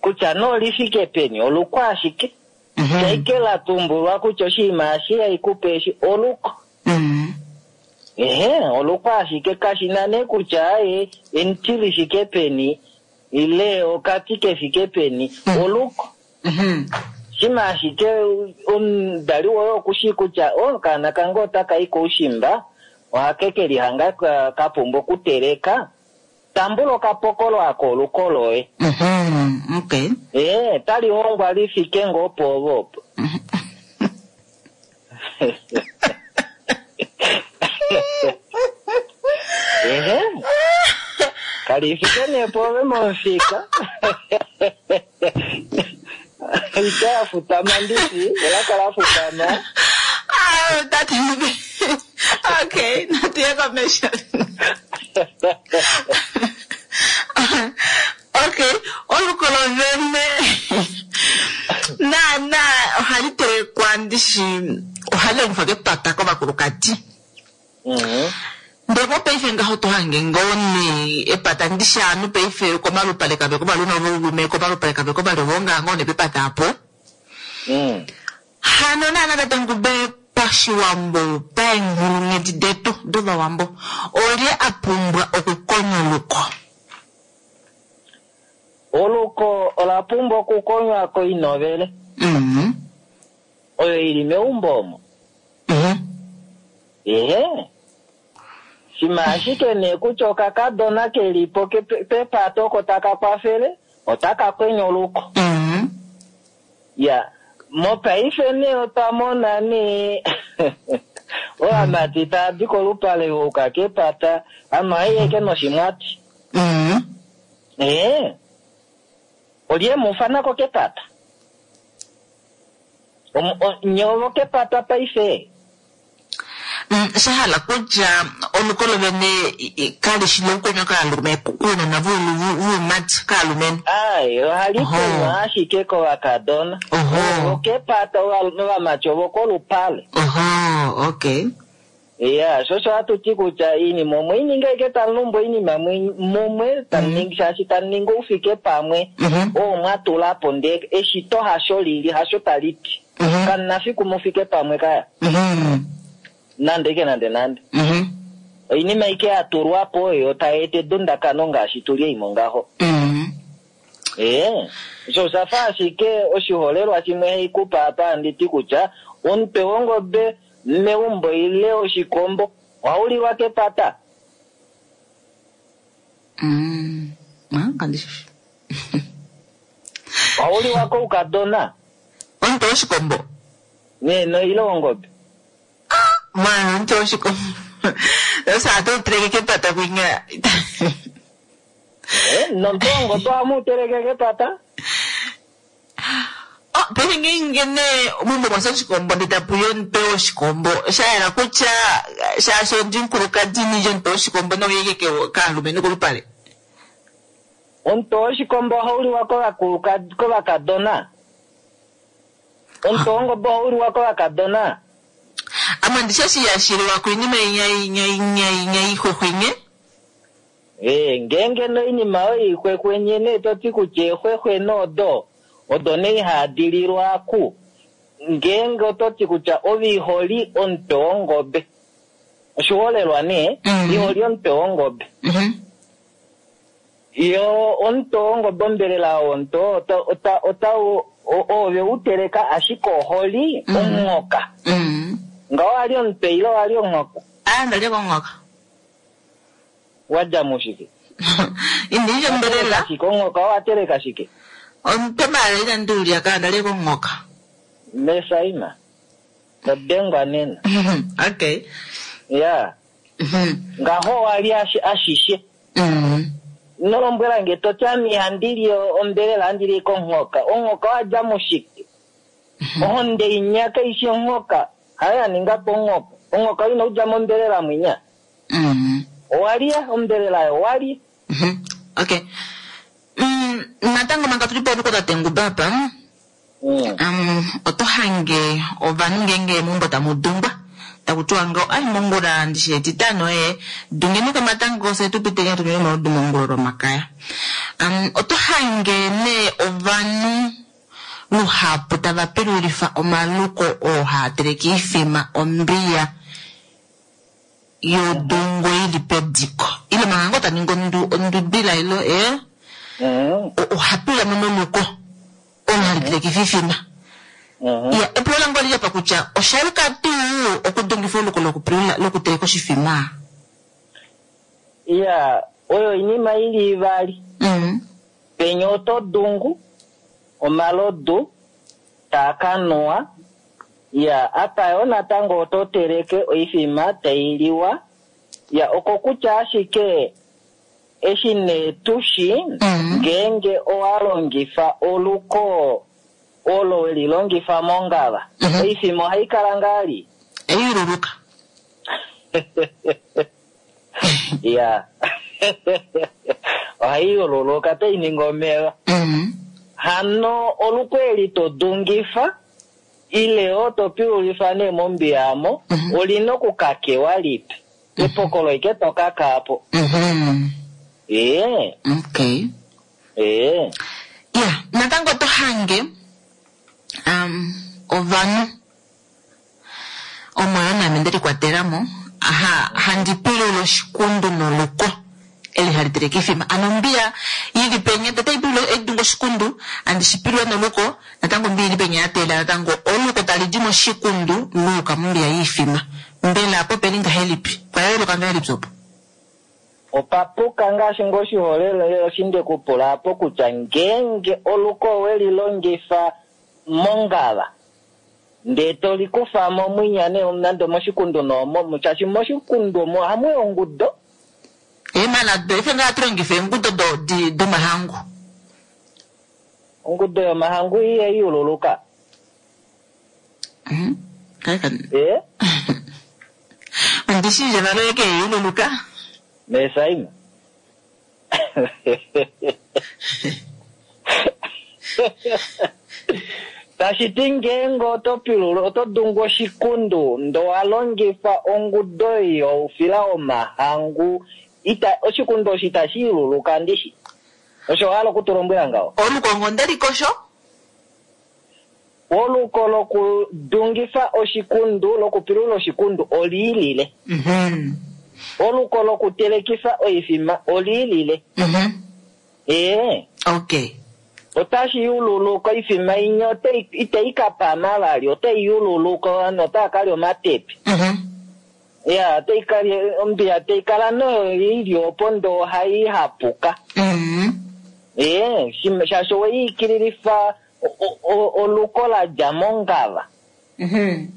Kutya nee olifike peni, oluko ashike. Mhm. Shaike la tumbulwa kutya oshinima eshi haikupe eshi oluko. Mm. Ehe, oluko ashike kashina nee kutya aye emuti lifike peni ile okati kefike peni, Mm. oluko. Mhm. Shima ashike omudali woye okushii kutya o okaana kange otaka i koushimba, ohake ke lihanga ka, ka pumbwa okuteleka. Tambula okapokolo ako oluko loye. Mhm. Okay. Ee, tali hongwa lifike ngoo pwoove opo. Ehe. Kali fike nee pwoove momufika. Ita ya futama ndishi, ola kala futama. Ah, that okay, natuye komesho. Okay, olukolo vene naana ohali telekwa ndishi ohali longifwa kepata kovakulukadi. Mhm. Ndele mopaife ngaho to hange ngoo nee epata ndishi ovanhu paife komalupale kave kovalume voulume komalupale kave kovalivonga ngoo nee pepata apo. Mm. Hano naana tate Ngube pashiwambo paenghulunghedi detu dovawambo olye a pumbwa okukonya oluko? Oluko ola pumbwa okukonywa koinovele Mhm. oyo ili meumbo omo. Mhm. Ehe. Shima ashike nee kutya okakadona kelipo kepe- pepata oko taka kwafele, otaka kwenya oluko. Mhm. Ya, mopaife nee otwa mona nee ovamati tava di kolupale uka kepata, ano haiyeke noshimwati. Mhm. Ee, olye mufanako kepata? Omu- o- Nye ovo kepata paife? Mm, sha hala kutya oluko lovene i- i- kali shi lokukonya kaalume kuunona vuumati kaalumenhu. Ai, ohali Oho. kwenywa ashike kovakadona. Oho. Ovo kepata ova- ovamati ovo kolupale. Oho, okay. Ya, sho osho hatu ti kutya iinima omwe ininga ashike tamu lumbu oinima mwe- mumwe, tamu ningi shaashi tamu ningi oufike pamwe. Mhm. Oo mwa tula po ndee eshito hasho lili, hasho tali ti. Mhm. Kamuna fiku mufike pamwe kaya. Mhm. Nande ike nande nande. Mhm. Oinima ike ya tulwa po oyo tai eta edundakano ngaashi tuli eimo ngaho. Mhm. Ee, osho osha fa ashike oshiholelwa shimwe haikupa apa handi ti kutya omutwe wongobe meumbo ile oshikombo ohau liwa kepata. Mm. Ah, kandi shi. Ohau liwa koukadona Omutwe woshikombo. nee no ile wongobe. Mwana, omutwe woshikombo. Sasa atu teleke kepata kwinya. Eh, Nomutwe wongobe ohamu uteleke kepata. Oh, paife ngeenge nee meumbo mwafya oshikombo ndee tapuya omutwe woshikombo sha yela kutya shaashi ondi mukulukadi nindje omutwe woshikombo nauye kaalumenhu kolupale. Omutwe woshikombo ohau liwa kovakuluka- kovakadona. Omutwe wongobe ohau liwa kovakadona. Ame ndishi eshi yashiliwa koinima inya inya inya inya ixwexwenye. Eh, ngeenge noinima oyo ixwexwenye nee to ti kutya exwexwe noodo odo nee ihadi lilwa ku. Ngeenge oto ti kutya ove iholi omutwe wongobe. Oshiholelwa nee, Mhm. iholi omutwe wongobe. Mhm. Yo omutwe wongobe ombelela womutwe ota ota ota ove u teleka ashike oholi Mhm. omunghoka. Mhm. Nga owali omutwe ile owali omunghoka? Ah, ndalya konghoka. Wadja mushike? Indilye ombelela. Shike omunghoka owa teleka shike? Omutwe maala inandi ulya ka ndalya konghoka. Mesaima. Todengwa nena. Okay. Ya. Mhm. Ngaho wali ashi- ashishe. Mhm. Ino lombwela nge toti ame ihandi li ombelela handi li konghoka. Onghoka owadja mushike? Ohonde inya kaishi onghoka. Hayo ya ninga po onghoka. Onghoka ina udja mombelela mwinya. Mhm. Owalya ombelela yo owalya. Mhm. Okay. Mm, natango manga tuli poluko tate Nguba apa. Mm. Um, oto hange ovanhu ngeenge meumbo tamu dungwa taku tiwa ngaho ai mongula ndishi etitano ee dungeni komatango fye tu piteni hatu nyweni omalodu mongula lomakaya. Um, oto hange nee ovanhu luhapu tava pilulifa omaluko oo haa teleke oifima ombiya yodungo ili pediko ile manga ngoo taningi ondu- ondubila ilo ee Mm. oha pilula mo moluko olo hali telekifa oifima. Mm. Ya, epulo lange oli apa kutya osha yuka tuu okudungifa oluko lokupilula lokuteleka oshifima? Ya, oyo oinima ili ivali. Mm. Penya oto dungu omalodu taa ka nuwa. Ya, apa yo natango oto teleke oifima tai liwa. Ya, oko kutya ashike eshi nee tushi Mm. ngeenge owa longifa oluko olo weli longifa mongava. Mhm. Oifima ohai kala ngali. Eyululuka. Ya. Ohai yululuka tai ningi omeva. Mm. Hano oluko eli to dungifa ile o to pilulifa nee mombiya amo Mhm. olina okukakewa lipe. Epokolo ike to kaka po. Mhm. Ee, Okay. ee. Ya, natango oto hange um, ovanhu omo yo naame nde likwatela mo aha, handi pilula oshikundu noluko eli hali teleke oifima ano ombiya ili penya tete ipilula edunga oshikundu andi shipilula noluko natango ombiya ili penya yatela natango oluko tali di moshikundu luuka mombiya yiifima mbela apo peli ngahelipi pwayooloka ngahelipi opo? Opapuka ngaashi ngoo oshiholelwa eshi nde kupula apo kutya ngeenge oluko oweli longifa mongava ndee toli kufa mo mwinya nee nande moshikundu noomo shaashi moshikundu omo ohamu yi ongudo. Eemala ife ngaa hatu longifa eengudo do- di- domahangu. Ongudo yomahangu iye yululuka. Mhm. Kale Ee, ondi shi ndje valo eke yululuka. mesaima. Tashi ti ngeenge oto pilula oto dungu oshikundu ndo wa longifa ongudo youfila womahangu ita oshikundu osho itashi yululuka ndishi. Osho wa hala okutulombwela ngaho? Oluko ngo ndelikosho? Oluko lokudungifa oshikundu lokupilula oshikundu oliilile. Mhm. Oluko lokutelekifa oifima oliilile. Mhm. Ee. Okay. Otashi yululuka oifima inya otai- itai ka pama vali otai yululuka ovanhu otaa kalya omatepi. Mhm. Ya, otai kalya ombiya tai kala noyo ili opo ndoo ohai hapuka. Mhm. Ee, shim- shaashi oweyiikililifa o- o- o- oluko la dja mongava. Mhm.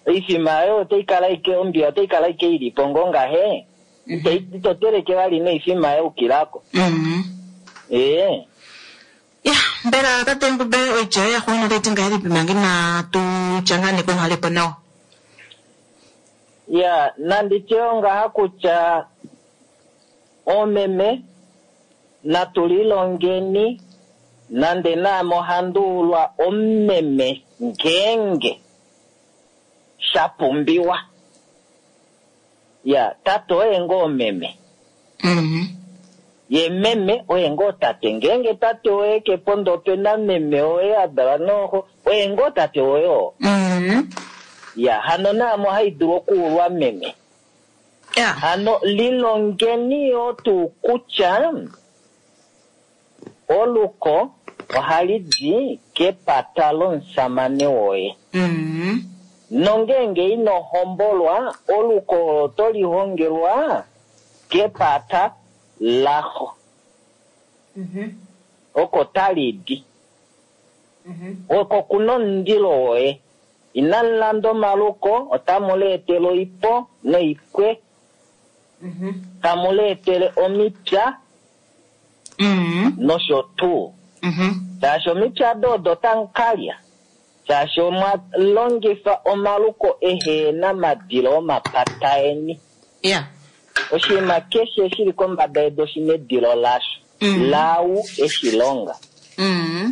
Oifima oyo otai kala ike ombiya otai kala ike ili po ngoo ngahe. Ito ito teleke vali noifima yaukilako. Mhm. Ee. Ya, mbela tate Ngube oitya yoye yaxuuninwa otai ti ngahelipi manga inatu tya ngaa nee kouhalepo nawa? Ya, nandi tye ngaha kutya oomeme natu lilongeni nande naame ohandi ulwa omumeme ngeenge sha pumbiwa. Ya, tate oye ngoo omeme. Mhm. Ye meme oye ngoo tate. Ngeenge tate woye ke po ndee ope na meme woye a dalwa nooxo, oye ngoo tate woye oo. Mhm. Ya, hano naame ohai dulu okuulwa meme. Ya. Hano lilongeni yoo tuu kutya oluko ohali di kepata lomusamane woye. Mhm. Nongeenge ino hombolwa, oluko olo oto lihongelwa kepata laxo. Mhm. Oko tali di. Mhm. Oko kuna omundilo woye. Inamu landa omaluko, otamu leetele oipo noipwe, Mhm. tamu leetele omipya Mhm. nosho tuu. Mhm. Shaashi omipya ado odo tamu kalya. Shaashi omwa longifa omaluko ehena madilo omapata eni. Ya. Oshinima keshe shili kombada yedu oshina edilo lasho. Mhm. Lau eshi longa. Mhm.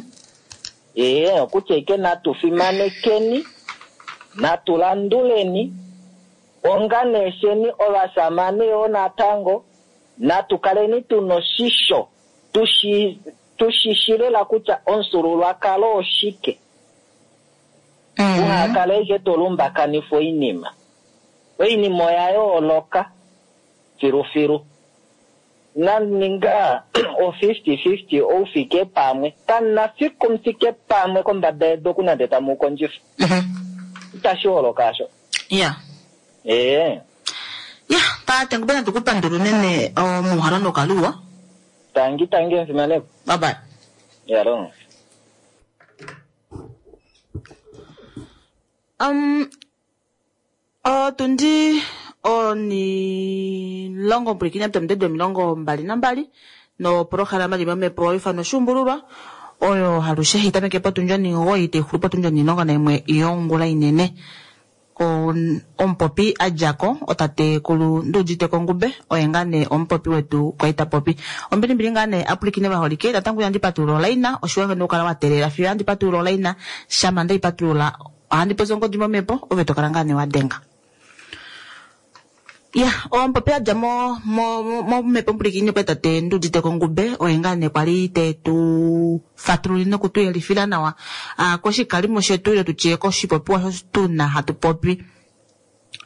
Ee, okutya ike natu fimanekeni, natu landuleni, onga neesheni ovasamane yoo natango, natu kaleni tuna oshisho, tushi tushi lela kutya omufyuululwakalo oshike. Mhm. Uhakale ashike to lumbakanifa oinima. Oinima oya yooloka filufilu. Naninga o fifty fifty oufike pamwe. Kamuna fiku mufike pamwe kombada yedu oku nande tamu kondjifa. Mhm. Itashi holoka asho. Ya. Ee. Ya, tate Ngube natu ku pandula unene omuuhalo nokaluwa. Tangi tangi mfimaneko. Bye bye. Yalongo. Um, otundi onilongo mpwilikini apita omilongo mbali nambali nopolohalama li momhepo ifano oshuumbululwa oyo halushe hai tameke potundi onimugoyi taixulu potundi onilongo naimwe yongula inene. On- omupopi a djako otatekulu Nduuditeko Ngube oye ngaa nee omupopi wetu kwali ta popi. Ombilimbili ngaa nee apulikine vaholike natango ihandi patulula olaina oshiwa ngeno okukala wa teelela fiyo handi patulula olaina shama ndaipatulula ohandi popi ongodi momhepo ove tokala ngaa nee wa denga. Ya, omupopi a dja mo mo momhepo mpulikini okwa tate Nduuditeko Ngube oye ngaa nee kwali te tu fatululile noku tu yelifila nawa ah, koshikalimo shetu ile tutye koshipopiwa osho tuna hatu popi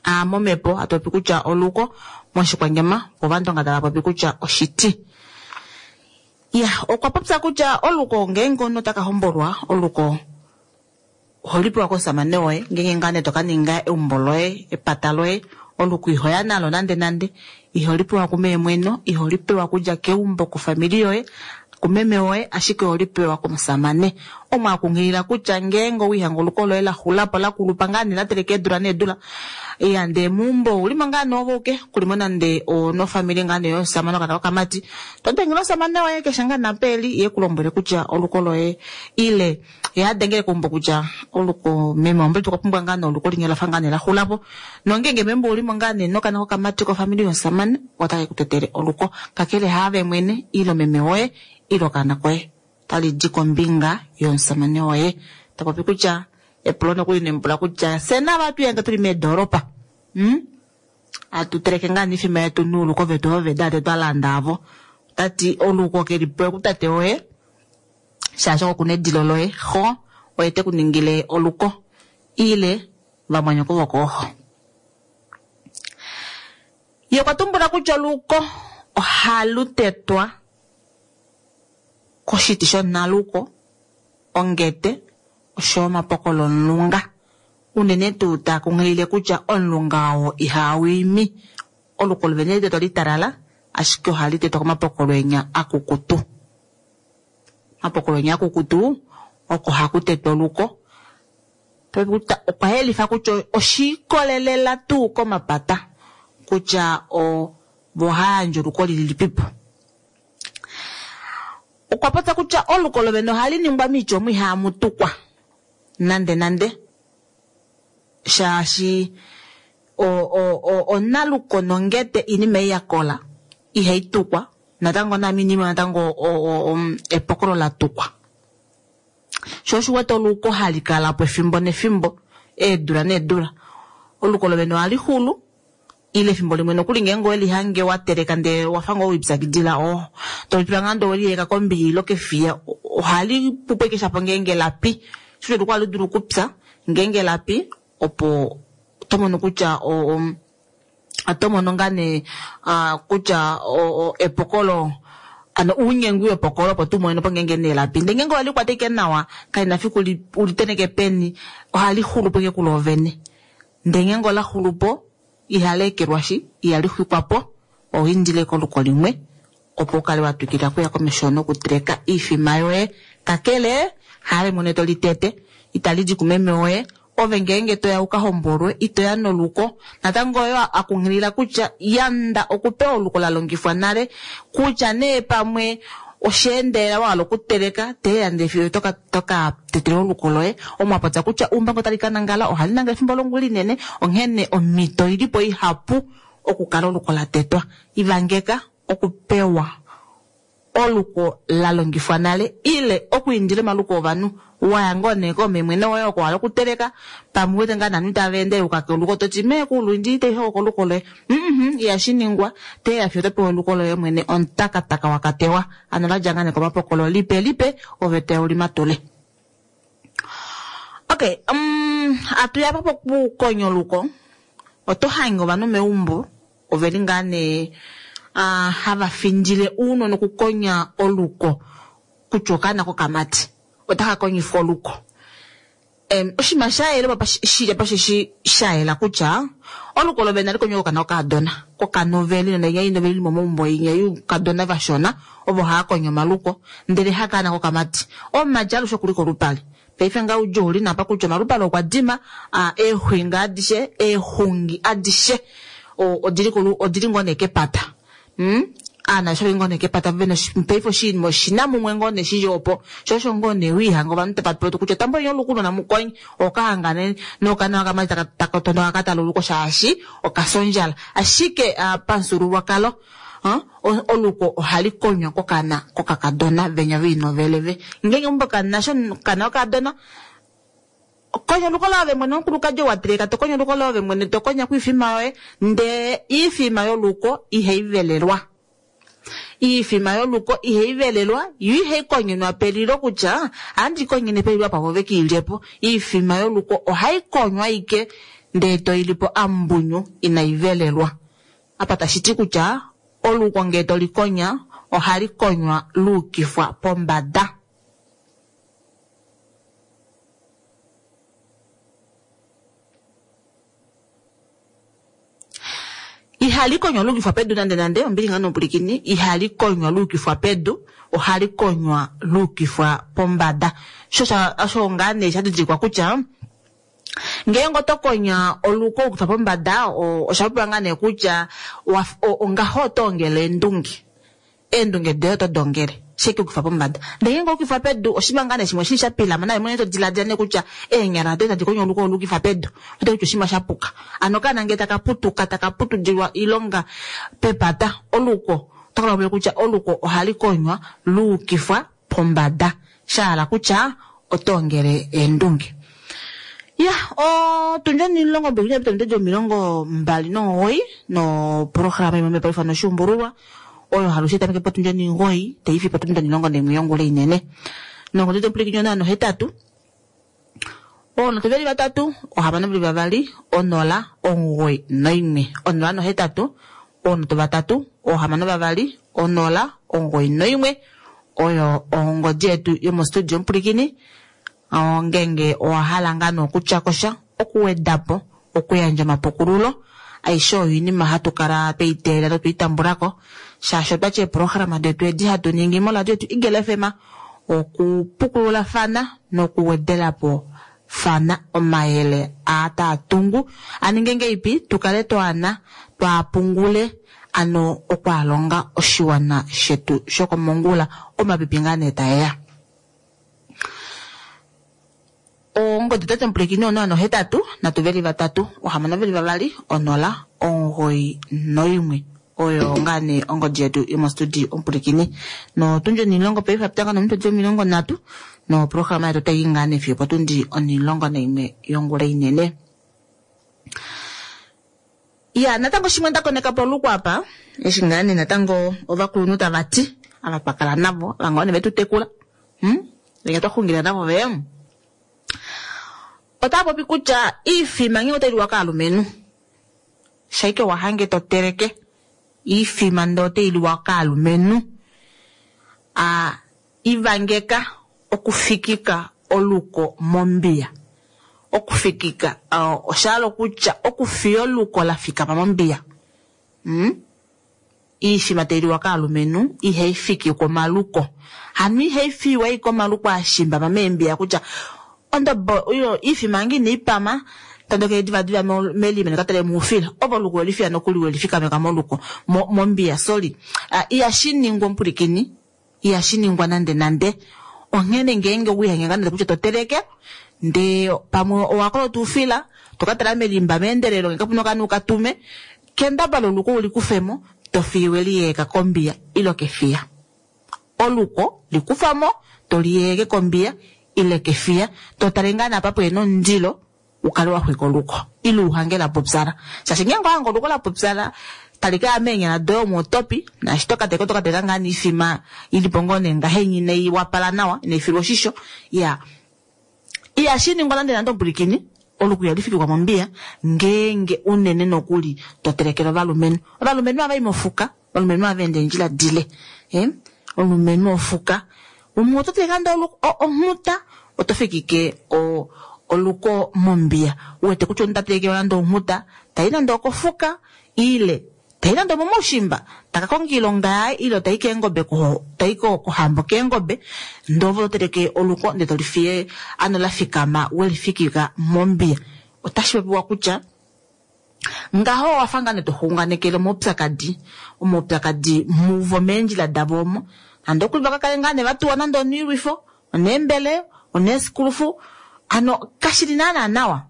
ah, momhepo hatu popi kutya oluko moshikwanyama vo Ovandonga tava popi kutya oshiti. Ya, okwa popya kutya oluko ngeenge omunhu ota ka hombolwa oluko oholi pewa komusamane woye ngeenge ngaa nee toka ninga eumbo loye epata loye oluko ihoya nalo nande nande iholi pewa kumeemweno iholi pewa kudja keumbo kofamili yoye kumeme woye ashike oholi pewa komusamane. Omwe akunghilila kutya ngeenge owihanga oluko loye laxulapo lakulupa ngaa nee lateleka eedula needula ya ndee meumbo oulimo ngaa nee ove uke kulimo nande onofamili ngaa nee yomusamane okana kokamati to dengele omusamane woye keshe ngaa napa eli ye kulombwele kutya oluko loye ile ye adengele keumbo kutya oluko meme wambe okwa pumbwa ngaa nee oluko linya lafa ngaa nee laxulapo nongeenge meumbo oulimo ngaa nee nokana kokamati kofamili yomusamane otake kutetele oluko kakele haave mwene ile meme woye ile okaana koye tali di kombinga yomusamane woye. Tapopi kutya epulo nokuli nembula kutya fye nava atu tuli meedoropa hmm? atu teleke ngaa niifima yetu nuuluko vetu ovo veda twa landa avo. Tati oluko keli pewa kutate woye shaashi oko kuna edilo loye xo oye te ku ningile oluko ile vamwanyoko vokooxo. Ye okwa tumbula kutya oluko ohalu tetwa koshiti shonaluko ongete oshoyo omapokolo omulunga unene tuu taa kunghilile kutya omulunga oo ihau imi oluko lovene litetwa litalala ashike ohali tetwa komapokolo enya akukutu. Omapokolo enya akukutu oko haku tetwa oluko. Okwa yelifa kutya oshiikolelela tuu komapata kutya o vohayandje oluko lilipipo. Okwa popya kutya oluko lovene ohali ningwa miitya omo ihaamu tukwa nande nande, shaashi onaluko nongete iinima ei ya kola ihai tukwa natango naami inima natango epokolo la tukwa. Sho osho wete oluko hali kala po efimbo nefimbo, eedula needula. Oluko lovene ohali xulu ile efimbo limwe nokuli ngeenge oweli hange wa teleka ndee wafa ngoo wipyakidila oh tolitula ngaa ndee oweliyeka kombiya ile kefiya, ohali pupo ashike shapo ngeenge lapi. Sho oluko ohali dulu okupya ngeenge lapi opo oto mono kutya oto mono ngaa nee kutya epokolo ano uunyengwi wepokolo opo tu monepo ngeenge nee lapi. Ndee ngeenge oweli kwata ashike nawa kalina fiku ulitenheke peni, ohali xulupo ashike kuloovene. Ndee ngeenge ola xulupo ihali ekelwashi, ihali xwikwapo, oho indile koluko limwe opo ukale wa twikila okuya komesho nokuteleka oifima yoye. Kakele haave mwene toli tete, itali di kumeme woye, ove ngeenge toya uka hombolwe itoya noluko. Natango oyo akunghilila kutya yanda okupewa oluko la longifwa nale, kutya nee pamwe osheendelela wa hala okuteleka teelela ndee fiyo toka toka tetela oluko loye. Omwapopya kutya uumbango tali ka nangala ohali nangala efimbo longula inene, onghene omhito oilipo ihapu okukala oluko la tetwa. Ivangeka okupewa oluko la longifwa nale ile okwiindila omaluko ovanhu waya ngoo nee koomemwene woye oko wahala okuteleka, pamwe uwete ngaa novanhu tava ende yuka koluko toti meekulu indi itaihoko koluko loye. Mhm, ihashi ningwa, teelela fiyo otopewa oluko loye mwene omutakataka wakatewa. Ano ladja ngaa nee komapokolo lipe lipe ove toya ulimatule. Okay, um, atuya apa pokukonya oluko, oto hange ovanhu meumbo oveli ngaa nee uh, hava findile ounona okukonya oluko kutya okaana kokamati otaka konyifwa oluko. Um, oshinima sha yela apa shili apa osheshi sha yela kutya oluko lovene ohali konywa kokana kokadona kokanoveli nonainya inoveli ili momaumbo inya youkadona vashona ovo hava konya omaluko ndele hakaana kokamati. Omumati alushe okuli kolupale. Paife ngaha oudjuu ouli napa kutya omalupale okwa dima, eexwinga adishe, eexungi adishe odili odili ngoo nee kepata. Mm? Aana osho ngoo nee kepata vena paife oshinima oshina mumwe ngoo nee shili opo. Sho osho ngoo nee wiihanga ovanhu tava pewa kutya tambuleni oluko namukonye okahangane nokana okamati taka tondoka katala oluko shaashi okafya ondjala. Ashike pamufyuululwakalo oluko ohali konywa kokana kokakadona venya voinoveleve. Ngeenge meumbo kamunasha okana kokadona, konya oluko loye ove mwene omukulukadi ou wa teleka tokonya oluko loye ove mwene tokonya kwiifima yoye, ndee iifima yoluko ihai velelwa. Iifima yoluko ihai velelwa yo ihai konyenwa pelilo kutya ohandi konyene pelilo apa vo vekiilyepo. Iifima yoluko ohai konywa ashike ndee toilipo ambunyu inai velelwa. Apa tashiti kutya oluko ngee tolikonya ohali konywa luukifwa pombada. Ihali konywa luukifwa pedu nande nande, ombili ngaa nomupulikini, ihali konywa luukifwa pedu, ohali konywa luukifwa pombada. Sho osho ngaa nee sha didilikwa kutya ngeenge oto konya oluko luukifwa pombada, osha popiwa ngaa nee kutya ongaho oto ongele eendunge. Eendunge doye oto dongele sheke ukifwa pombada. Ndele ngeenge ukifwa pedu, oshinima ngaa nee shimwe shili sha pilama naye mwene to diladila nee kutya eenyala doye tadi konya oluko olukifwa pedu, oto kutya oshinima sha puka. Ano okaana ngee taka putuka taka putudilwa oilonga pepata, oluko otaka lombwele kutya oluko ohali konywa luukifwa pombada, sha hala kutya oto ongele eendunge. Ya, otundi omulongo mbili nepita omilongo mbali nomugoyi noprograma imwe mepaife noshuumbululwa oyo halushe tameke potundi omugoyi taifi potundi omulongo naimwe yongula inene. Nongodhi tomupulikini onola nohetatu oonoto veli vatatu ohamano veli vavali onola omugoyi noimwe. Onola nohetatu oonoto vatatu oohamano vavali onola omugoyi noimwe oyo ongodi yetu yomostudio omupulikini. Ngeenge owa hala ngaa nee okutya kosha, okuwedapo, okuyandja omapukululo, aishe oyo oinima hatu kala tweiteelela notweitambulako shaashi otwati eeprograma detu edi hatu ningi moradio yetu Eagle F M okupukululafana nokuwedelapo fana omayele aa taa tungu aninge ngeipi tukale twaana twaapungule Ano okwaalonga oshiwana shetu shokomongula omapipi ngaa nee taeya. Ongodi tate mpulekini onola nohetatu nhatu veli vatatu ohamano veli vavali onola omugoyi noimwe oyo ngaa nee ongodi yetu yomostudio omupulikini notundi onilongo paife apitanga nominute omilongo nhatu noprograma yetu otayi ngaa nee fiyo potundi onilongo naimwe yongula inene. Ya natango shimwe nda koneka po apa eshi ngaa nee natango ovakulunhu tava ti ava twa kala navo ava ngoo nee vetu tekula hmm? Venya twa xungila navo ve otava popi kutya iifima ngee otai liwa kaalumenhu shaike wahange to teleke iifima ndee otai liwa kaalumenhu a ivangeka okufikika oluko mombiya okufikika uh, oshahala okutya okufiya oluko la fikama mombiya mm? Iifima tailiwa kaalumenhu ihai fikikwa omaluko hano ihai fiwa ike omaluko ashimbama meembiya kutya ondobo oyo iifima yange inaipama tandokele divadiva melime nekatale muufila ovo oluko welifiya nokuli welifikameka moluko mombiya sorry uh, ihashi ningwa omupulikini ihashi ningwa nande nande onghene ngeenge wihange nande kutya to teleke ndee pamwe owakolota oufila tokatala melimba meendelelo ngee kapuna okanhu ukatume kendabala oluko ulikufemo tofiye weliyeeka kombiya ile kefiya oluko likufamo toliyeeke kombiya ile kefiya totale ngaa napa pwena omundilo ukale waxwika oluko ile uhange lapupyala shaashi ngeenge owahange oluko lapupyala tali kaya meenyala doye omo otopi naashi tokateka otokateka ngaa niifima ilipo ngoo nee ngahenya inai wapala nawa inaifilwa oshisho ya ihashi ningwa nande nande omupulikini oluko ihali fikikwa mombiya ngeenge unene nokuli to telekele ovalumenhu ovalumenhu ohava i mofuka ovalumenhu ohava ende eendjila dile eh? Omulumenhu ofuka umwe oto teleke nande onghuta oto fikike o oluko mombiya uwete kutya omunhu ta teleke nande onghuta tai nande okofuka ile tai nande omomoushimba taka konga iilonga yaye ile tai keengobe tai kohambo keengobe ndee ove oto teleke oluko ndee tolifiye ano la fikama welifikika mombiya otashi popiwa kutya ngaho owafa ngaa nee toxunganekele omaupyakadi omaupyakadi muvo meendjila davo omo nande okuli vakakale ngaa nee vatuwa nande oniilwifo oneembele oneesikulufu ano kashili naana nawa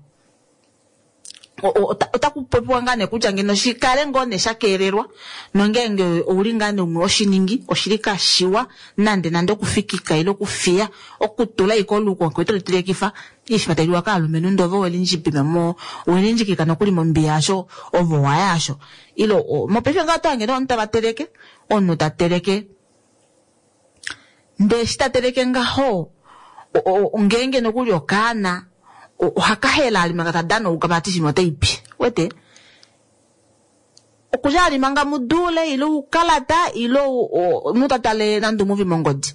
otaku popiwa ngaa nee kutya ngeno shikale ngoo nee shakeelelwa nongeenge ouli ngaa nee umwe oshiningi oshili kashiwa nande nande okufikika ile okufiya okutula ike oluko ngee tolitelekifa iifima tailiwa kaalumenhu ndee ove welindjibima mo welindjikika nokuli mombiya yasho ove owaya asho ile mopaife ngaa oto hange nee ovanhu tava teleke omunhu ta teleke ndee eshi ta teleke ngaho ngeenge nokuli okaana ohakahela ali manga tadana ouka vati shimwe otaipi wete okudja ali manga mudule ile ukalata ile omunhu tatale nande omuvi mongodi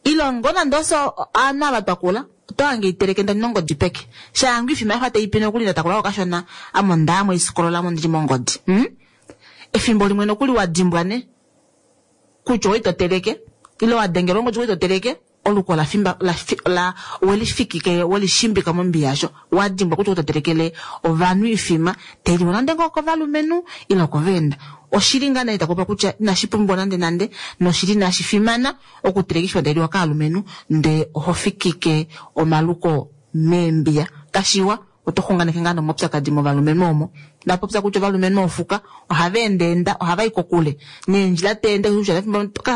ile ngo nande oso aanhu ava twakula oto hange iteleke ndani nongodi peke shaangu ifima yafa taipi nokuli ndatakula okashona ame ondaamo isikolola mo ndili mongodi hmm? Efimbo limwe nokuli wadimbwa ne kutya owali toteleke ile wadengelwa ongodi owali toteleke oluko la fimba la, la welifikike welishimbika mombiya yasho wadimbwa kutya ototelekele ovanhu ifima tailiwa nande ngoo kovalumenhu ile okoveenda oshili ngaa nee takupa kutya inashi pumbiwa nande nande noshili inashi fimana okuteleka ifima tailiwa kaalumenhu ndee oho fikike omaluko meembiya kashiwa oto xunganeke ngaa nomaupyakadi movalumenhu omo ndapopya kutya ovalumenhu ofuka ohava endeenda ohava i kokule neendjila teende kutya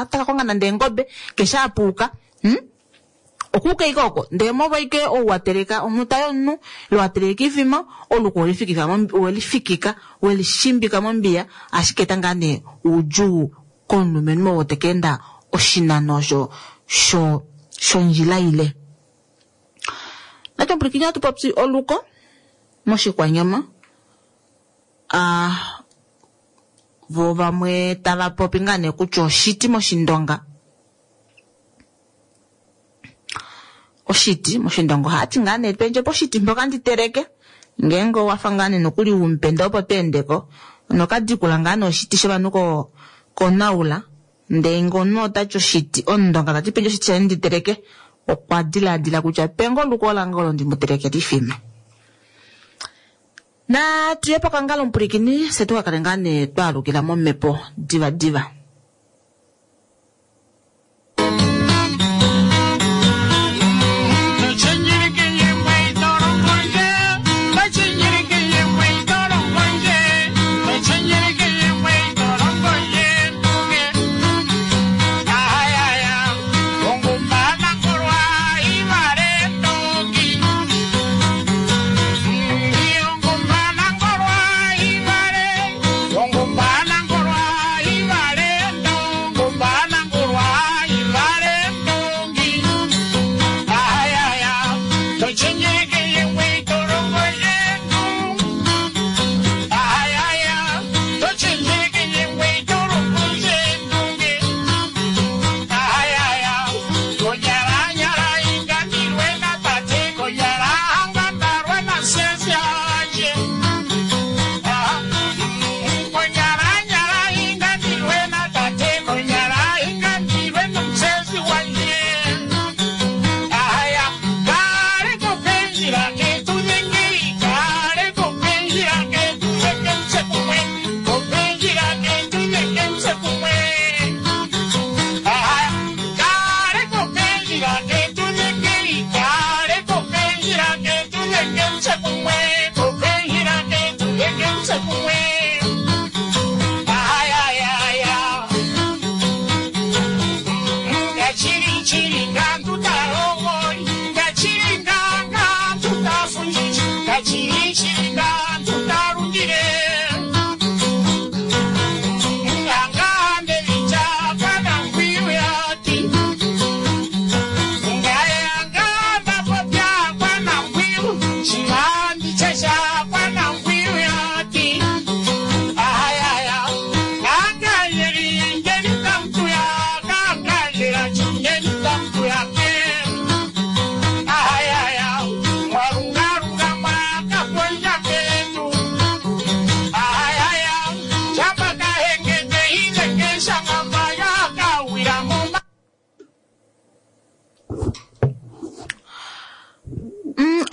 taka konga nande eengobe keshe apuuka hmm? Okuuka ike oko ndee molwa ike ou wateleka onghuta yomunhu ile wateleka ifima oluko welifikika welifikika welishimbika mombiya ashike eta ngaa nee oudjuu komulumenhu oo teka enda oshinano osho sho shondjila ile. Natu omupulikini ohatu popi oluko moshikwanyama ah, vo vamwe tava popi ngaa nee kutya oshiti moshindonga oshiti moshindonga ohati ngaa nee pendje poshiti mpoka ndi teleke ngeenge owafa ngaa nee nokuli umupenda opo tweendeko nokadikula ngaa nee oshiti shovanhu ko konaula ndee ngee omunhu otati oshiti omundonga tati pendje oshiti shaye ndi teleke okwa dilaadila kutya penge oluko lange olo ndi mu telekele ifima. Natuye pokangalo omupulikini se tu ka kale ngaa nee twaalukila momhepo diva diva.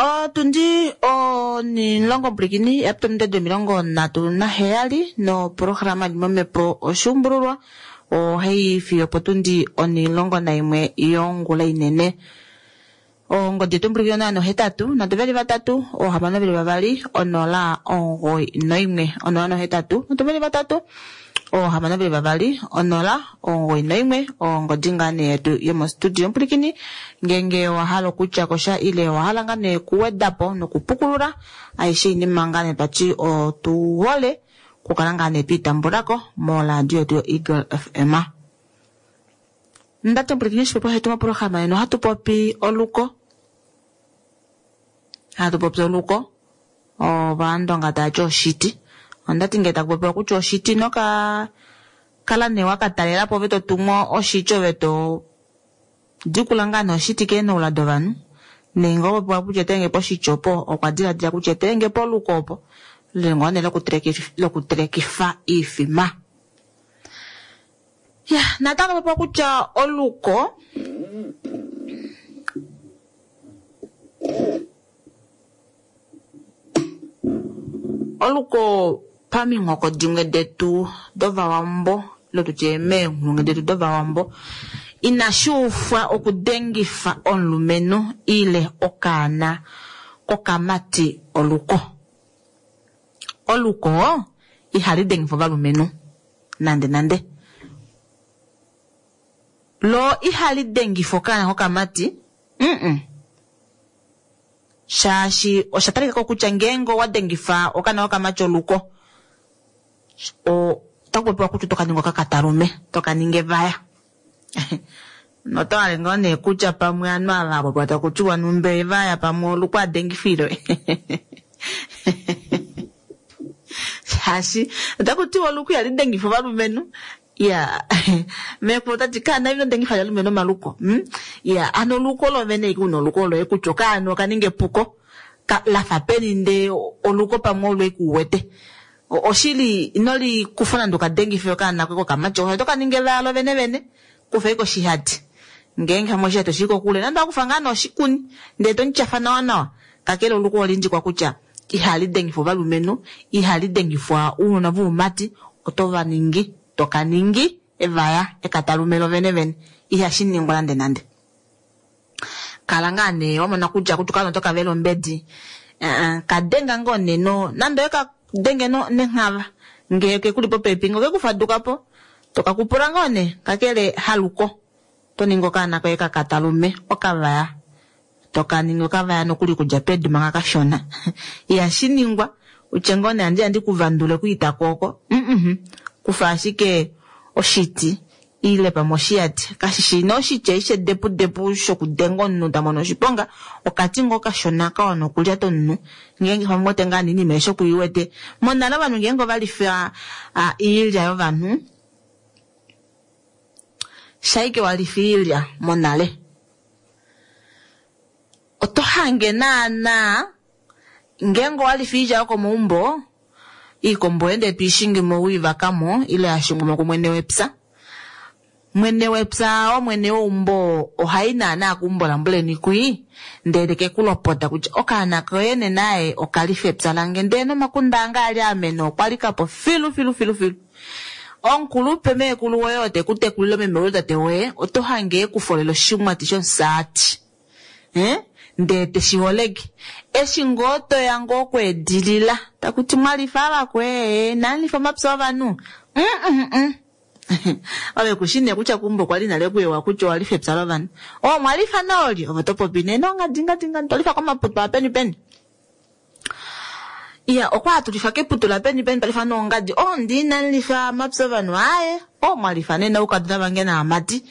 Otundi onilongo mpulikini yapita omilongo nhatu naheyali noprograma li momhepo oshuumbululwa ohayi fiyo potundi onilongo naimwe yongula inene. Ongodi yetu mpulikini onola nohetatu nhatu veli vatatu oohamano veli vavali onola omugoyi noimwe onola nohetatu nhatu veli vatatu oohamano veli vavali onola omugoyi noimwe ongodi ngaa nee yetu yomostudio mpulikini ngenge owahala okutya kosha ile owahala ngaa nee kuwedapo nokupukulula aishe oinima ngaa nee twati otuhole okukala ngaa nee twiitambulako moradio yetu yo Eagle F M. Ndati mpulikini oshipopiwa shetu moprograma yeno ohatu popi oluko, hatu popi oluko ovandonga tayati oshiti. Ondati ngele taku popiwa kutya oshiti noka kala nee wakatalelapo ove totumwa oshiti ove to dikula ngaa nee oshiti keenoula dovanhu nenge opopiwa kutya etenge poshiti opo okwa diladila kutya etenge poluko opo lengoo nee lokutelekifa iifima. Ya natango popiwa kutya oluko oluko paminghoko dimwe detu dovawambo lotutye meenghulungu detu dovawambo inashi ufwa okudengifa omulumenhu ile okaana kokamati oluko. Oluko ihali dengifa ovalumenhu nande nande. Lo ihali dengifa okaana kokamati mm shaashi osha talika ko kutya ngeenge owa dengifa okaana kokamati oluko o otaku popiwa kutya oto ka ninga okakatalume toka ninga evaya. Notowale ngoo nee kutya pamwe ovanhu ava popiwa taku tiwa numbe evaya pamwe oluko adengifilwe. Shaashi otaku tiwa oluko ihali dengifa ovalumenhu. Ya mekulu otati kaana ino dengifa ovalumenhu omaluko. Ya ano oluko lovene una oluko loye kutya okaana okaninga epuko lafa peni nde oluko pamwe olwe kuwete. Oshili inoli kufa nande okadengife okaana koye kokamati oto ka ninga evaya lovene vene kufa koshihati ngeenge hamwe oshihati oshili kokule nande wakufa ngaa noshikuni ndele tomutyafa nawa nawa kakele oluko olindji kwa kutya Ihali dengifwa ovalumenhu, ihali dengifwa ounona voumati, oto va ningi, to ka ningi evaya ekatalume lovene vene. Ihashi ningwa nande nande. Kala ngaa nee wamona kutya kutu kala oto ka vela ombedi. Uh, ka denga ngoo nee no, nande oye ka denge no nenghava ngee ke kuli popepi ngoo ke ku faduka po, to ka kupula ngoo nee kakele haluko. To ningi okaana koye kakatalume okavaya, to ka ningi okavaya nokuli kudja pedu manga kashona. Ihashi ningwa utye ngoo nee andi andi kuvandule kwiita kooko. Mm-mm. Kufa ashike oshiti ile pamwe oshiyati, kashishi nee oshitya ishe depu depu shokudenga omunhu ta mono oshiponga, okati ngoo kashona ka wana okulyata omunhu ngeenge pamwe wete ngaa nee eshi okuiwete. Monale ovanhu ngeenge ovalifa iilya yovanhu, shaike walifa iilya monale, oto hange naana ngeenge owalifa iilya yokomaumbo, iikombo ende twiishingi mo wiivakamo ile yashingwa mo kumwene wepya. Mwene wepya omwene weumbo ohai naana keumbo lambuleni kwii, ndele ke kulopota kutya okaana koye nenaye okalifa epya lange, ndele nomakunda ange ali amene okwa likapo filu filu filu filu. Omukulupe meekulu woye ote ku tekulile meme woye tate woye, oto hange ekufolele oshimwati shomusaati. Eh? Ndele teshi holeke. Eshi ngoo toya ngoo okweedilila, takuti mwalifa avakwe, nanlifa omapya ovanhu. Mm mm mm. Ove kushi nee kutya kumbo kwali nale kuyewa kutya owalifa epya lovanhu. O mwalifa naoli, ove to popi nee nongadingadinga, twalifa komaputu apeni peni. Iya, okwa atulifa keputu la peni peni twalifa noongadi. O ndi nanlifa omapya ovanhu aye. O mwalifa nee naukadona vange naamati.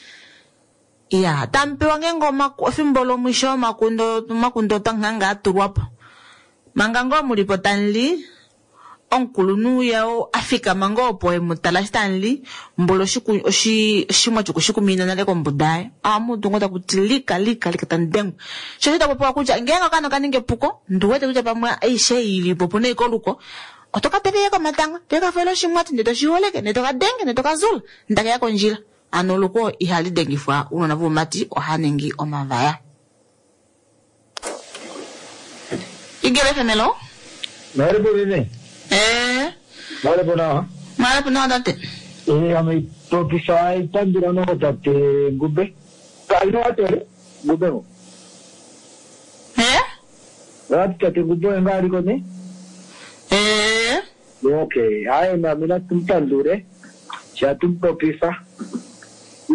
Iya, tampewa ngeenge efimbo lomwisho omakundo omakundo tanghanga atulwapo. Manga ngoo mulipo tanli, omukulunhu yao afikama ngoo opo emutala eshi tanli, mbolo oshimwati okushikumina nale kombuda yaye. Ohamu ngoo takuti lika lika lika tandengwa. Sho osho tapopiwa kutya ngeenge okaana okaninga epuko, nduwete kutya pamwe aishe ilipo opuna ashike oluko, oto ka tele komatango, ndele kafoele oshimwati, ndele toshiholeke, ndele tokadenge, ndele tokazula, ndakeya kondjila. Ano oluko ihali dengifwa ounona voumati, oha ningi omavaya. Igele femelo? Mwalipo bebe? Eh. Mwalipo nawa? Mwalipo nawa tate. Eh, ame popisa itandula no tate Ngube. Kaino atele Ngube mo. Eh? Wati tate Ngube nga aliko ne? Eh. Okay, aye na mina tumtandure. Chatumpopisa.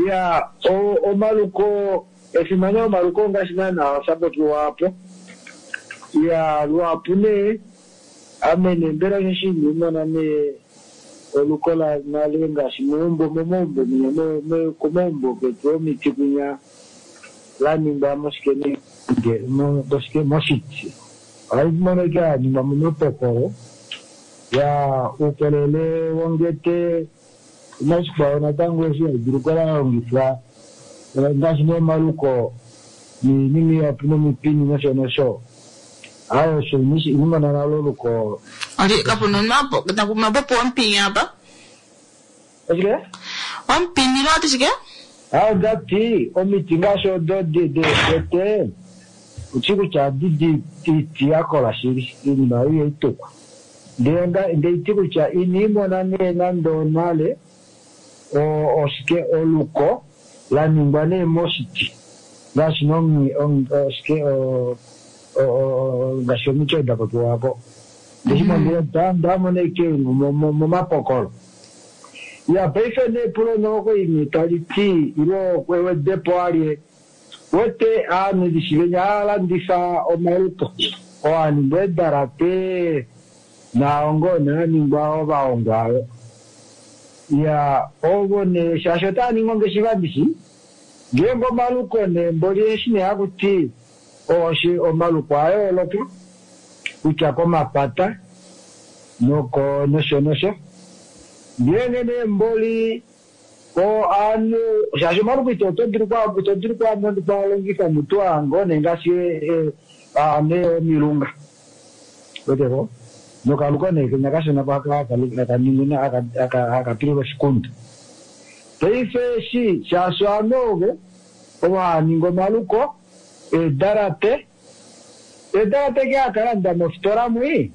Ya o omaluko efimano omaluko ngaashi naana oshapopiwa apo. Ya lwapu nee amene mbela osheshi ndimona nee oluko la nale ngaashi meumbo momaumbo munya komaumbo ketu omiti kunya la ningwa moshike nee moshiti. Ohali monika ya ningwa momapokolo ya uukolele wongete nashikwao natango eshi haidulu la longifwa ngaashi nomaluko niinima ihapu nomipini nosho nosho. Ayo osho inimona nalo oluko. Ali kapuna mapo mapopo ompini apa. Oshike? Ompini lo ati shike? Ayo ndati omiti ngaashi odo dete uchi kutya didi iti yakola shili iinima oyo itukwa. Ndele ndeiti kutya inimona nee nande onale oshike oluko la ningwa nee moshiti ngaashi oshike ngaashi omiti odo dapopiwako. Ndeshimona ndamona ike momapokolo. Ya paife nee epulo noko imwe tali ti ilo ewedepo alye wete aanhu ndishivenya aalandifa omaluko oaningwa eedalate naongo naaningwa ovahongwa ayo. Ya ovo nee shaashi otaa ningi ongeshefa ndishi ngeenge omaluko nee mboli eshi nee hakuti oshi omaluko a yooloka kutya komapata noko nosho nosho. Ngeenge nee mboli o aanhu shaashi omaluko ito dulu ito dulu kwalongifa mutu ango nee ngaashi nee omilunga weteko nokaluko nee kenya kashona akaninguna akapilula oshikundu. Paife eshi shaashi ovanhu ovo ovo haaningi omaluko eedalate Edalate ke akalanda mofitola mwi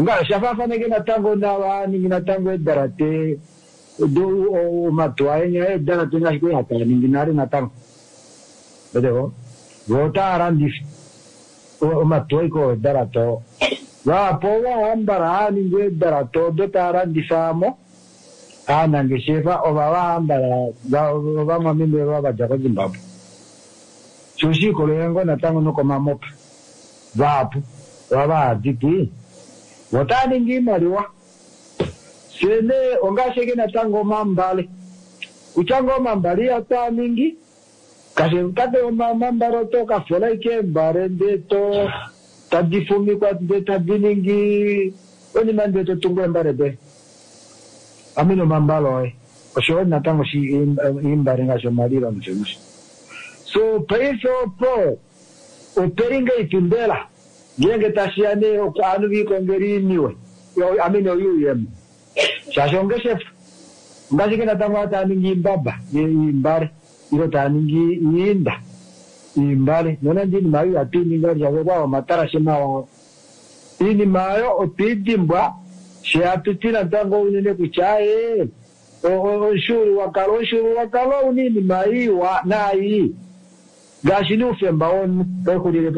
nga shafaafaneke natango navaningi natango edalate omatuwa enya edalate ngaashi kwali hataa ningi nale natango weteko vo otaa landifa omatuwa iko edalate oo vapo vahambala haaningi edalate odo taa landifa mo aanangeshefa ova vahambala ovamwameme va vadja koZimbabwe sho shiikololela ngoo natango nokomamopa vahapu ova vahaditi otaa ningi iimaliwa sene ongaashi natango omambale kutya ngoo omambale ihataa ningi kashe kate omambale oto kafola ike eembale ndee to tadi fumikwa ndee tadi ningi onima ndee to tungu eembale doye amene omambale oye oshowo natango iimbale ngaashi omalilo nosho nosho so paife opo opelinga ipimbela ngeenge tashiya nee ovanhu viikongela iiniwe amene oyuuyemo shaashi ongeshefa ngaashi ke natango taa ningi iimbaba iimbale ilo taa ningi iinda iimbale nonande iinima ayo ihatu ininga shaashi okwa omatarashe mawa iinima ayo otwiidimbwa she hatu ti natango unene kutya aye omushuululwakalo omushuululwakalo ouna iinima iwa naayi ngaashi nuufemba womunhu oixulile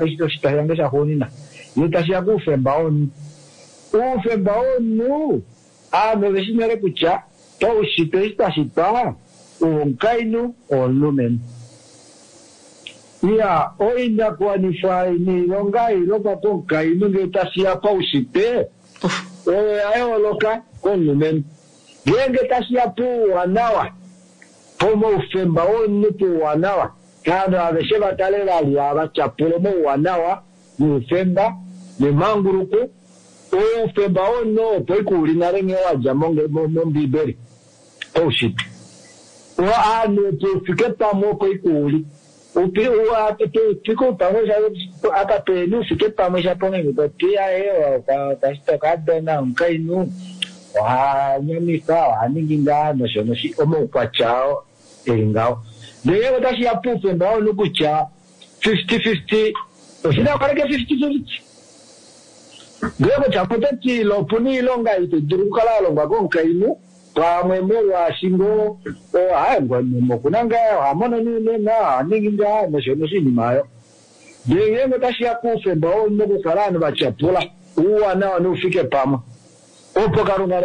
oshitwa shange shaxuunina ye tashiya kuufemba womunhu uufemba womunhu aanhu oveshi nale kutya paushitwe eshi twashitwa owomukainhu owomulumenhu iya oinakuwanifwa niilonga ilongwa komukainhu ngee tashiya paushitwe oyo ya yooloka komulumenhu ngeenge tashiya puuwanawa pomaufemba womunhu puuwanawa aanhu aveshe vatale vali ava tyapula omauwanawa nuufemba nemanguluko oufemba womunhu opo ikuuli nale nghee wadja mombiibeli oushitwe aanhu tufike pamwe opo ikuuli tufike pamwe apa peni ufike pamwe shapo ngenge toti aye okadona omukainhu oha nyamifa oha ningi ngaa nosho nosho omaukwatya oo eli ngaho ndele otashiya puufemba womunhu kutya fifty fifty oshina okaleke fifty fifty ndele kutya pototi opuna iilonga ito dulu okukala ya longwa komukainhu pamwe molwaashi ngoo okuna ngaa oha mono nuunona oha ningi ngaa nosho nosho iinima ayo ndele ngeenge otashiya kuufemba womunhu okukala ovanhu vatyapula uuwanawa noufike pamwe opo kalunga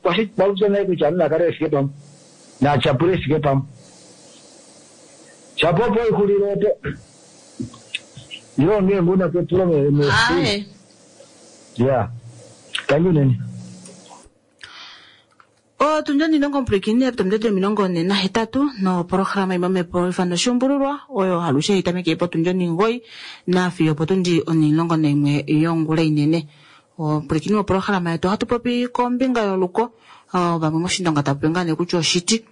kwashitwa naye kutya ovanhu nakale vefike pamwe natyapule efike pamwe shapo opo oixulile opo ilo ngeenge una kepulo Aye. ya tangi unene otundi omilongo mpwilikine potundi omilongo ne nahetatu nopolohalama imwe omhepo ifano oshuumbululwa oyo alushe itameke potundi oningoyi nafiyo potundi onilongo naimwe yongula inene ompwilikini wopolohalama yetu ohatu popi kombinga yoluko vamwe moshindonga tapopi ngaa nee kutya oshiti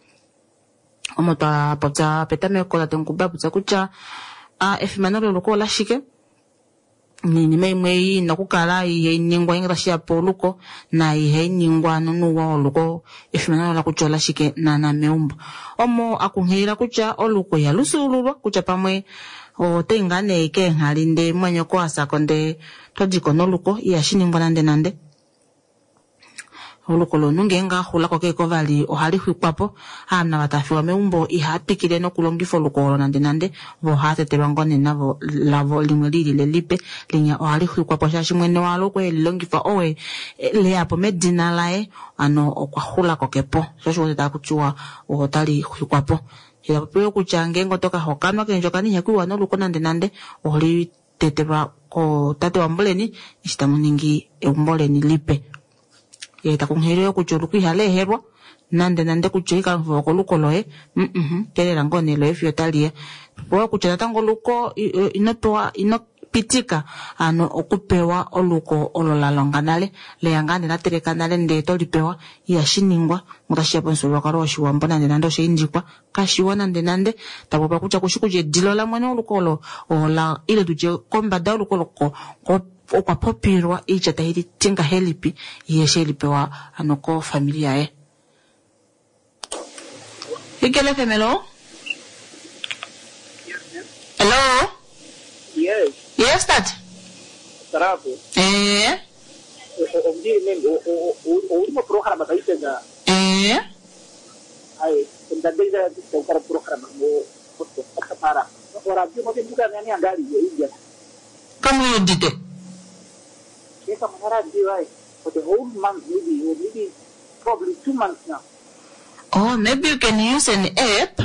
omo twa popya petameko tate Nkuba popya kutya efimano loluko olashike niinima imwe ina okukala ihai ningwa ngele tashiya poluko na ihai ningwa nonuuwa woluko efimano lola kutya olashike naana meumbo omo akunghilila kutya oluko ihalu fyuululwa kutya pamwe otoyi ngaa nee keenghali ndee mwanyoko asako ndee todiko noluko ihashi ningwa nande nande oluko lomunhu ngeenge axulako keeko vali ohali xwikwapo ovanhu ava tava fiwa meumbo ihava twikile nokulongifa oluko olo nande nande vo ohava tetelwa ngoo nee navo lavo limwe lilile lipe linya ohali xwikwapo shaashi mwene walo okwe elilongifa owe leyapo medina laye ano okwa xulako kepo sho osho uwete takutiwa otali xwikwapo itapopiwe kutya ngeenge oto kahokanwa keendjokana ihakuiwa noluko nande nande oholi tetelwa kotate wambuleni eshi tamu ningi eumbo leni lipe ye takunghilile kutya oluko ihali ehelwa nande nande kutya ikalongifa koluko loye mm teelela ngoo nee loye fiyo taliya popewa kutya natango oluko ino pewa ino pitika ano okupewa oluko olo la longa nale leya ngaa nee lateleka nale ndee tolipewa ihashi ningwa otashiya pomufyuululwakalo woshiwambo nande nande oshaindikwa kashiwa nande nande tapopiwa kutya kushi kutya edilo lamwene woluko olo ola ile tutye kombada yoluko olo okwa popilwa oitya tai ti ngahelipi ye eshi elipewa ano kofamili yaye. Ikele F M, hello? Hello? Yes, tate. Bravo. Eh. Omdiri mem, ouli moprograma paife nga. Eh. Ai, ndadeza kukara programa mo para. Ora bio mo venduka ngani angali yo india. Kamuyudite. Eka manara radio ai for the whole month maybe or maybe probably two months now. Oh, maybe you can use an app.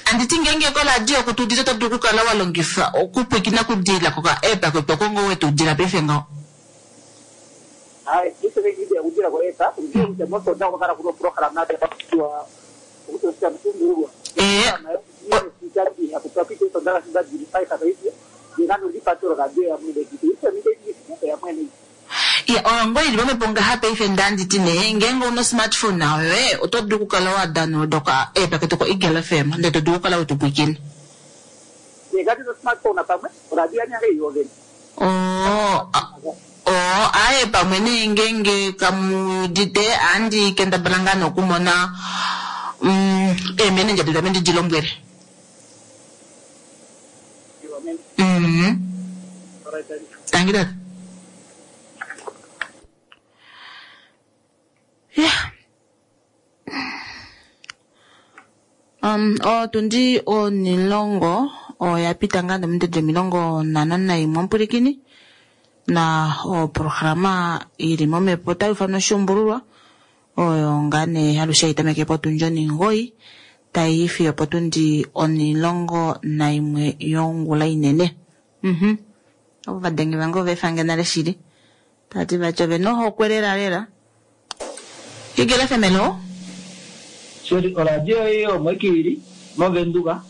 Anditi ngenge koradio kutudita oto dulu okukala wa longifa okupwikina kudila koka app kwetu kongo wetu udila paife ngaho. Ai, isso vem de udila ko app, udila kuti moto ndako kara kuno program na kwa ukutosha mtungu. Eh. Ya, oyo ngoo ili pamhepo ngaha paife ndanditi nee ngeenge una smartphone nawe oto dulu okukala wa download oka app ketu ko Eagle F M ndele to dulu okukala wetupwikina. Oh, oh, aye pamwe nee ngeenge kamudite andi kendabala ngaa nokumona mm, eemenendja detu ame ndi lombwele. Mhm. Tangi tata. Yeah. Um, otundi onilongo oya pita ngaa nominute omilongo nhano naimwe omupulikini na oprograma ili momhepo otayi ufanwa oshuumbululwa oyo ngaa nee alushe hayi tameke potundi oningoyi tayi yi fiyo potundi onilongo naimwe yongula inene. Mhm. Ovo vadenge vange ova efange nale shili. Tati vati ove na ohokwe lela lela. Eagle F M, hello? Sorry, oradio ei omo ike ili movenduka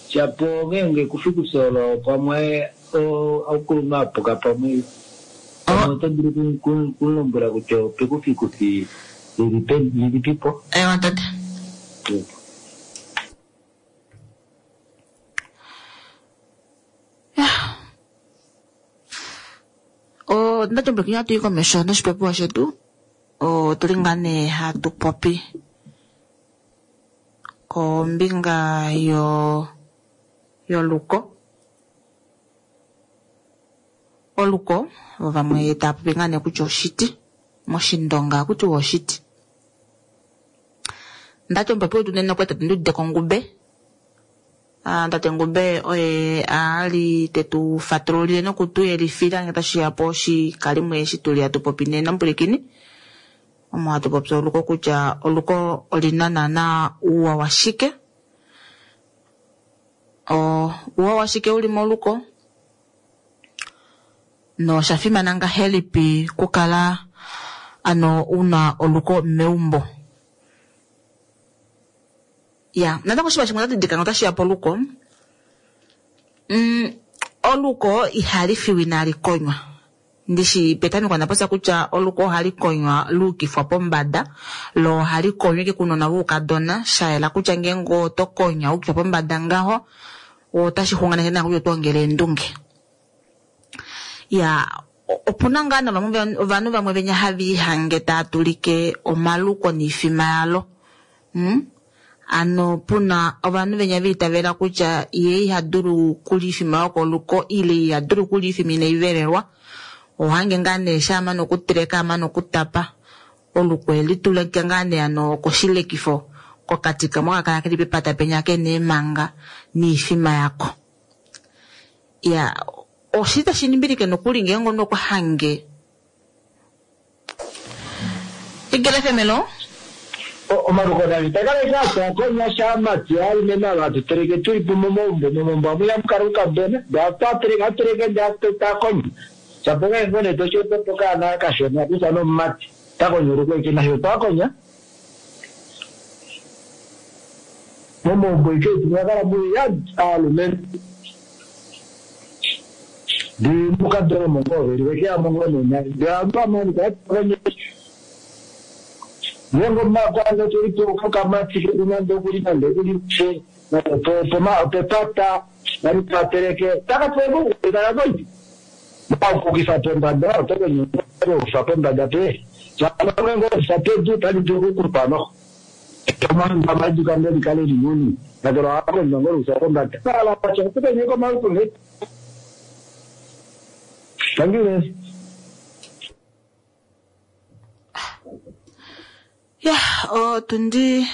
shapo ngeenge kufikusolo pamwe okuluma apuka pamwe pamwe oto dulu kulombwela kutya opekufikufi lilipipo. Ewa tate. Ondati omupulikini hatu yi komesho noshipopiwa shetu otuli ngaa nee hatu popi kombinga yo yoluko. Oluko vamwe tava popi ngaa nee kutya oshiti moshindonga kutiwa oshiti. Ndati omupopi wetu nena okwa tate Ndudite Ngube. Ah, tate Ngube oye ali tetu fatululile nokutu yelifila ngee tashiya po oshikalimo eshi tuli hatu popi nena omupulikini. Omo hatu popi oluko kutya oluko olina naana uuwa washike. O uuwa washike uli moluko nosha fimana ngahelipi kukala ano una oluko meumbo. Ya, natango oshinima shimwe ndadidilika otashiya poluko. Mm, oluko ihali fiwa inali konywa. Ndishi petameko ndapopya kutya oluko ohali konywa luukifwa pombada, lo ohali konywa ike kunona woukadona, shayela kutya ngeenge oto konya wuukifwa pombada ngaho, otashi xunganeke naa kutya oto ongele eendunge. Ya, opuna ngaa navamwe ovanhu vamwe venya hava ihange tava tulike omaluko noifima yalo. Mm? Ano puna ovanhu venya viitavela kutya ye iha dulu kulya oifima yokoluko ile iha dulu kulya oifima inai velelwa. Ohange ngaa nee shamane okuteleka amane okutapa oluko elitulika ngaa nee ano koshilekifo kokati kamwe kakala keli pepata penya kena eemanga noifima yako. Ya, oshili tashi nimbilike nokuli ngeenge omunhu okwa hange. Eagle F M, hello? Omaluko nali takala sha konya sha mati alume nava tuteleke tuli po momaumbo momaumbo amwe ihamu kala oukadona ndee twa teleke ndee takonya shapo ngeenge nee toshiwetepo okaana kashona kutya nomumati takonya oluko ike nasho twakonya momaumbo ike mwakala muli aalumentu ndee mukadona omo ngoo veli vekeyamo ngoo nena ndee ovanhu takonya ngeenge omumakwanza tulipo kokamati ketu nande okuli nande okuli pepata nali tateleke takatweko takakonya makukifa pombada otokonya okufa pombada pe ngeenge okufa pedu tali dulu okukupa noho. Omandama likale linini kakele ohakonywa ngolusa kombada alacha tukenye komaluko nge tangile. Ya, otundi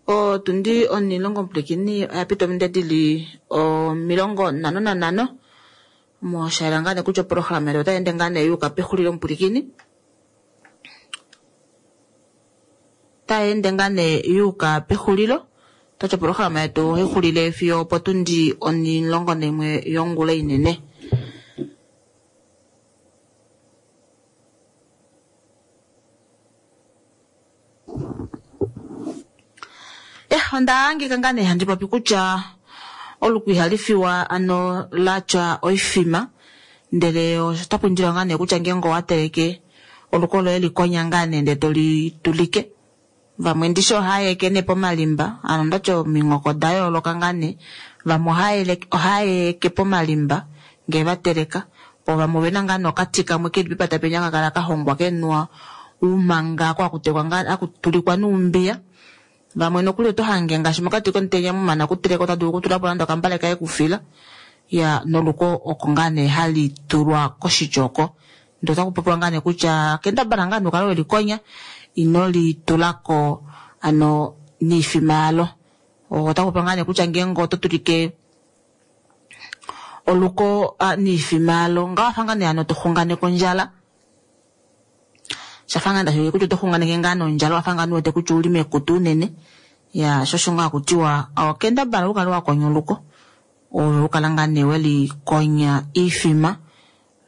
otundi onilongo mpulekini oya pita ominde dili omilongo nhano nanhano moshaela ngaa nee kutya oprograma yetu otayi ende ngaa nee yuuka pexulilo mupulikini otayi ende ngaa nee yuuka pexulilo tati oprograma yetu ohayi xulile fiyo opotundi onilongo naimwe yongula inene. Eh, onda hangika ngaa nee handi popi kutya oluku ihali fiwa ano latya oifima ndele otapu indilwa ngaa nee kutya ngeenge owa teleke oluko loye likonya ngaa nee ndele toli tulike. Vamwe ndishi ohaya eke nee pomalimba ano ndati ominghoko da yooloka ngaa nee vamwe ohaya eke pomalimba ngee va teleka po vamwe ovena ngaa nee okati kamwe keli pepata penya haka kala ka hongwa kenwa uumanga ko hakutelekwa ngaa hakutulikwa nuumbiya. Vamwe nokuli oto hange ngaashi mokati komutenya mumana okuteleka ota dulu okutulapo nande okambale kaye kufila ya noluko oko ngaa nee hali tulwa koshitya oko. Ndele otaku popiwa ngaa nee kutya kendabala ngaa nee ukale welikonya ino li tulako ano niifima yalo. Otaku popiwa ngaa nee kutya ngeenge oto tulike oluko niifima yalo nga wafa ngaa nee ano toxunganeke ondjala. Shafa ngaa ndashi kutya oto xunganeke ngaa nondjala wafa ngaa nuwete kutya ouli mekutu unene ya sho osho ngaa hakutiwa okendabala ukale wakonya oluko ove ukala ngaa nee welikonya iifima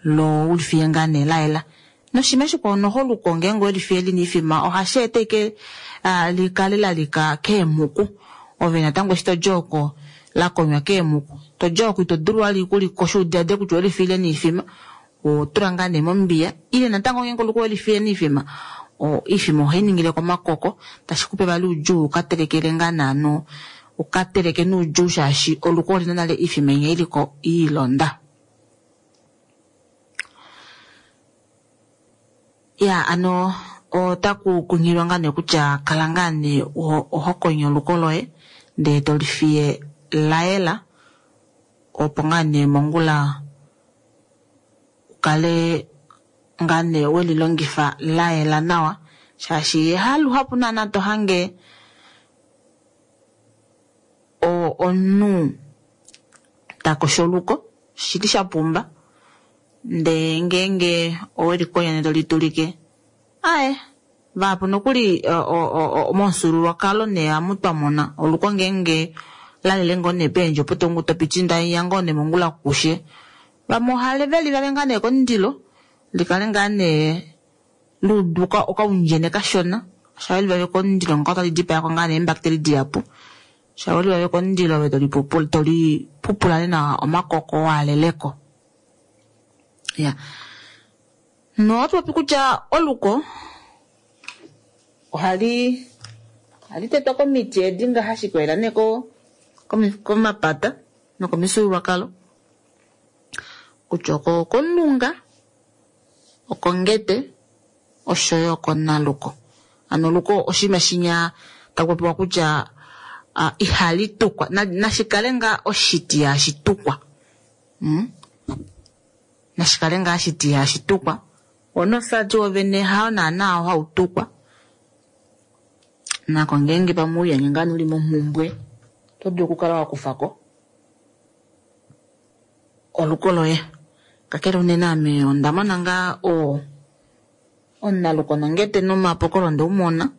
lo ulifiye ngaa nee layela. Noshima shikwao noho oluko ngeenge welifiye lina iifima ohashi eta ike likale lalika keemhuku ove natango eshi todi oko lakonywa keemhuku todi oko ito dulu vali okulikosha udiade kutya owelifiyile niifima otula ngaa nee mombiya ile natango ngeenge oluko welifiye niifima iifima ohayi ningile komakoko tashi kupe vali oudjuu ukatelekele ngaa naano ukateleke noudjuu shaashi oluko olina nale iifima inya iliko iilonda. Ya ano otaku kunghilwa ngaa nee kutya kala ngaa nee oho konya oluko loye ndele tolifiye layela opo ngaa nee mongula ukale ngaa nee welilongifa layela nawa shaashi haluhapu naana to hange omunhu takosho oluko shili sha pumba ndee ngeenge owelikonya ndele tolitulike aye vahapu nokuli momufyuululwakalo nee ohamu twamona oluko ngeenge lalele ngoo nee peendje opo topiti ndaiya ngoo nee mongula kushe vamwe ohale veli vave ngaa nee komundilo likale ngaa nee luuduka okaundjene kashona shaweli vave komundilo nga otali dipayako ngaa nee eembacteria dihapu shaweli vave komundilo ove tolipupula tolipupula nawa omakoko waaleleko. Ya nohatu popi kutya oluko ohali ohali tetwa komiti edi nga hashi kwela nee ko komapata nokomifyuululwakalo kutya oko komulunga okongete oshoyo okonaluko. Ano oluko oshinima shinya taku popiwa kutya ihali tukwa nashikale ngaa oshiti hashi tukwa nashikale ngaa oshiti hashi tukwa onosati wovene hao naana hau tukwa nako ngeenge pamwe uyange ngaa uli momhumbwe oto dulu okukala wakufako oluko loye. Kakele unene ame onda mona ngaa o omunaluko nongete nomapokolo ndeumona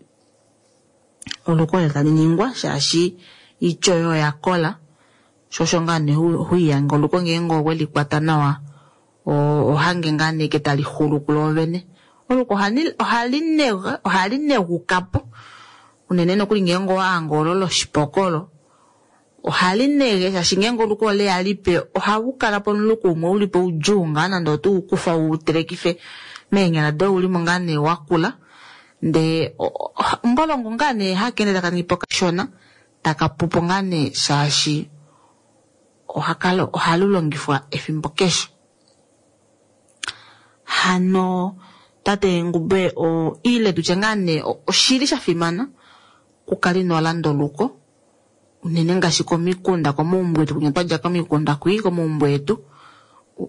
oluko ole tali ningwa shaashi iitya oyo oya kola sho osho ngaa nee huiyange oluko ngeenge owelikwata nawa ohange ngaa nee ke tali xulu kuloovene. Oluko ohali negukapo unene nokuli ngeenge owahange olo loshipokolo ohali nege shaashi ngeenge oluko oleya lipe ohawu kala pomuluko umwe ulipo oudjuu ngaa nande oto ukufa utelekife meenyala doye ulimo ngaa nee wakula ndee mbolongo ngaa nee hakeende taka ningipo kashona taka pupo ngaa nee shaashi ohalu longifwa efimbo keshe. Hano Tate Ngube o ile tutye ngaa nee oshili sha fimana okukala ino landa oluko unene ngaashi komikunda komaumbo etu kunya twadja komikunda kwii komaumbo etu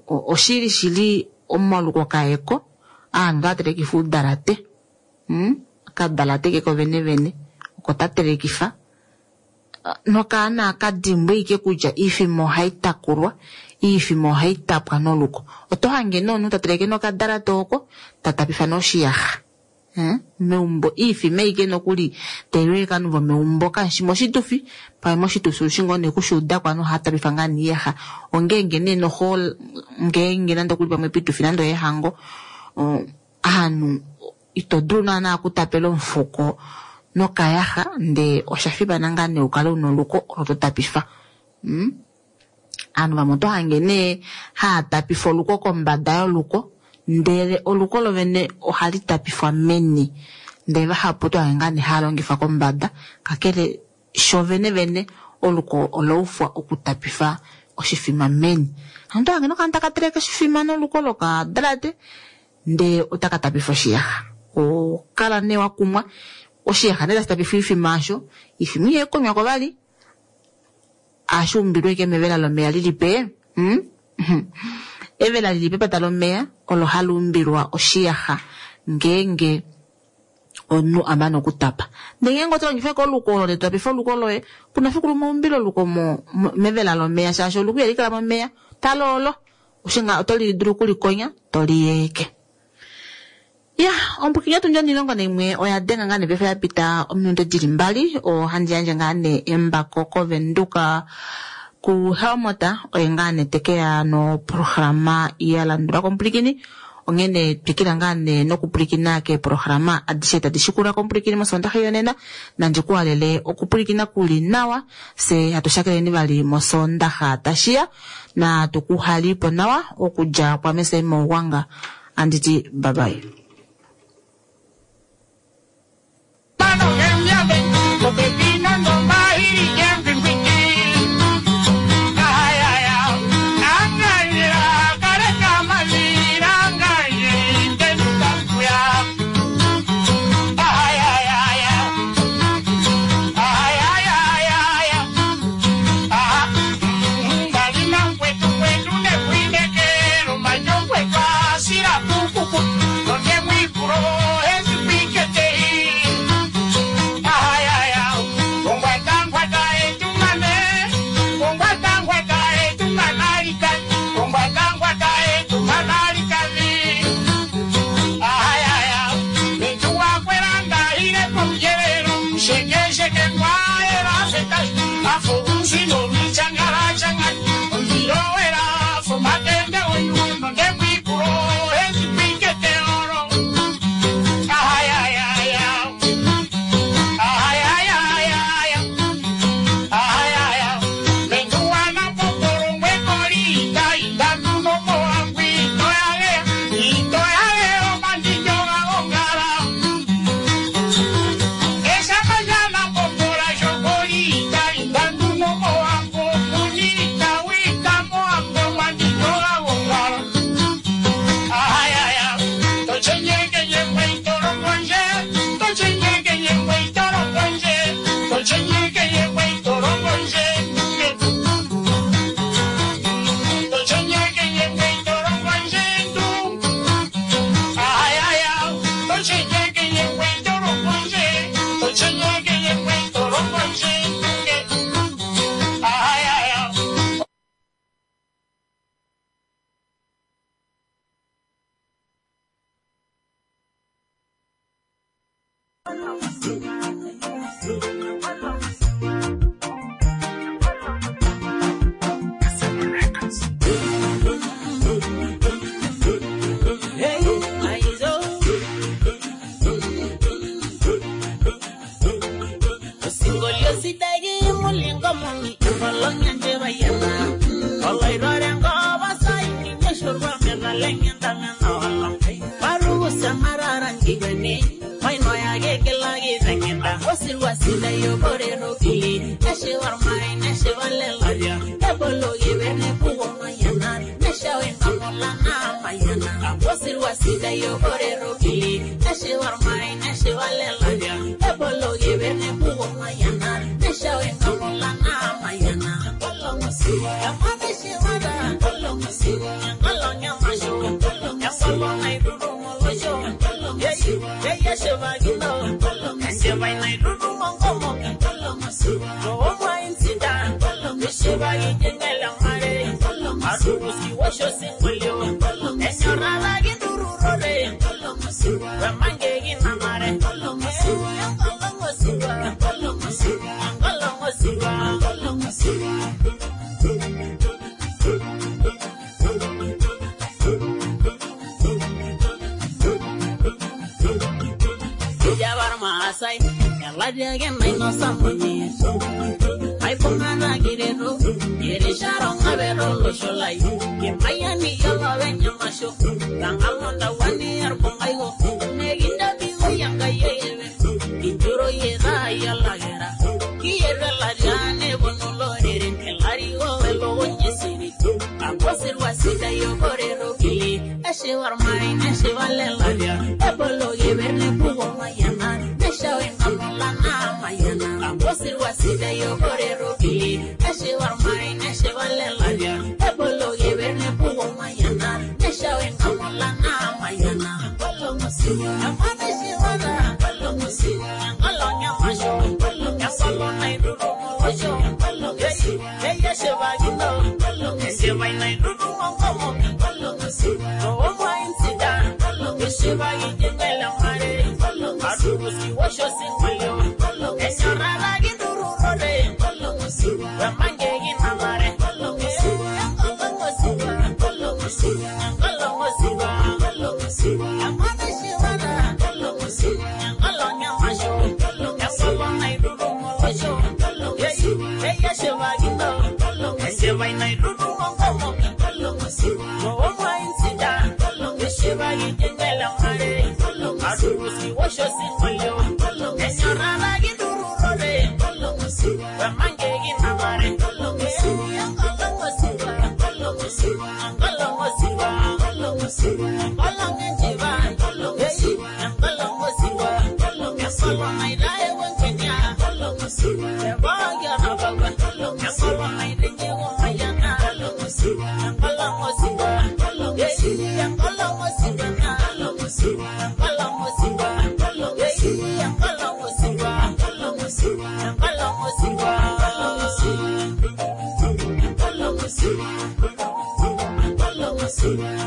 oshili shili omaluko kaeko aantu otaya telekifa uudalate mm? Okadalate keko vene vene oko ta telekifa nokaana akadimbwe ike kutya iifima ohayi takulwa iifima ohayi tapwa noluko oto hange nomunhu ta teleke nokadalate oko ta tapifa noshiyaxa. Hmm? Meumbo iifima ike nokuli tailiwe kovanhu vomeumbo kashi moshitufi pamwe moshitufi ushi ngoo nee kushuuda kwanu ohaya tapifa ngaa niiyaxa ongeenge nee noho ngeenge nande okuli pamwe pitufi nande oyehango aanhu ito dulu naana okutapela omufuko nokayaxa ndee osha fimana ngaa nee ukale una oluko olo to tapifa. Hmm? Aanhu vamwe oto hange nee haya tapifa oluko kombada yoluko ndele oluko lovene ohali tapifwa meni ndele vahapu oto hange ngaa nee haya longifa kombada kakele sho vene vene oluko olaufwa okutapifa oshifima meni. Hano oto hange nokanhu taka teleke oshifima noluko lokadalate ndee otaka tapifa oshiyaxa. Okala nee wakumwa oshiyaxa nee tashi tapifa oifima yasho iifima ihayi vali ashi umbilwe ike mevela lomeya lilipe hmm? Evela lili pepata lomeya olo hali umbilwa oshiyaxa ngeenge omunhu amana okutapa. Ndele ngeenge oto longifa oluko olo letu tapifa oluko loye kuna fiku lumwe umbile oluko mevela lomeya shaashi oluko ihali kala momeya taloolo oshinga oto li dulu okulikonya to liyeke. Ya, ombukinya tunjo nilongo naimwe oya denga ngaa nee paife ya pita ominute dili mbali ohandi yandje ngaa nee embako koVenduka ku Helmota oye ngaa nee tekeya noprograma ya landula kompulikini onghene twikila ngaa nee nokupulikina keeprograma adishe tadi shikula kompulikini mosondaxa yonena nandi kuhalele okupulikina kuli nawa se hatu shakeleni vali mosondaxa tashiya na tukuhalipo nawa okudja kwa mese mouwanga anditi bye bye. Wasida yo Thank you.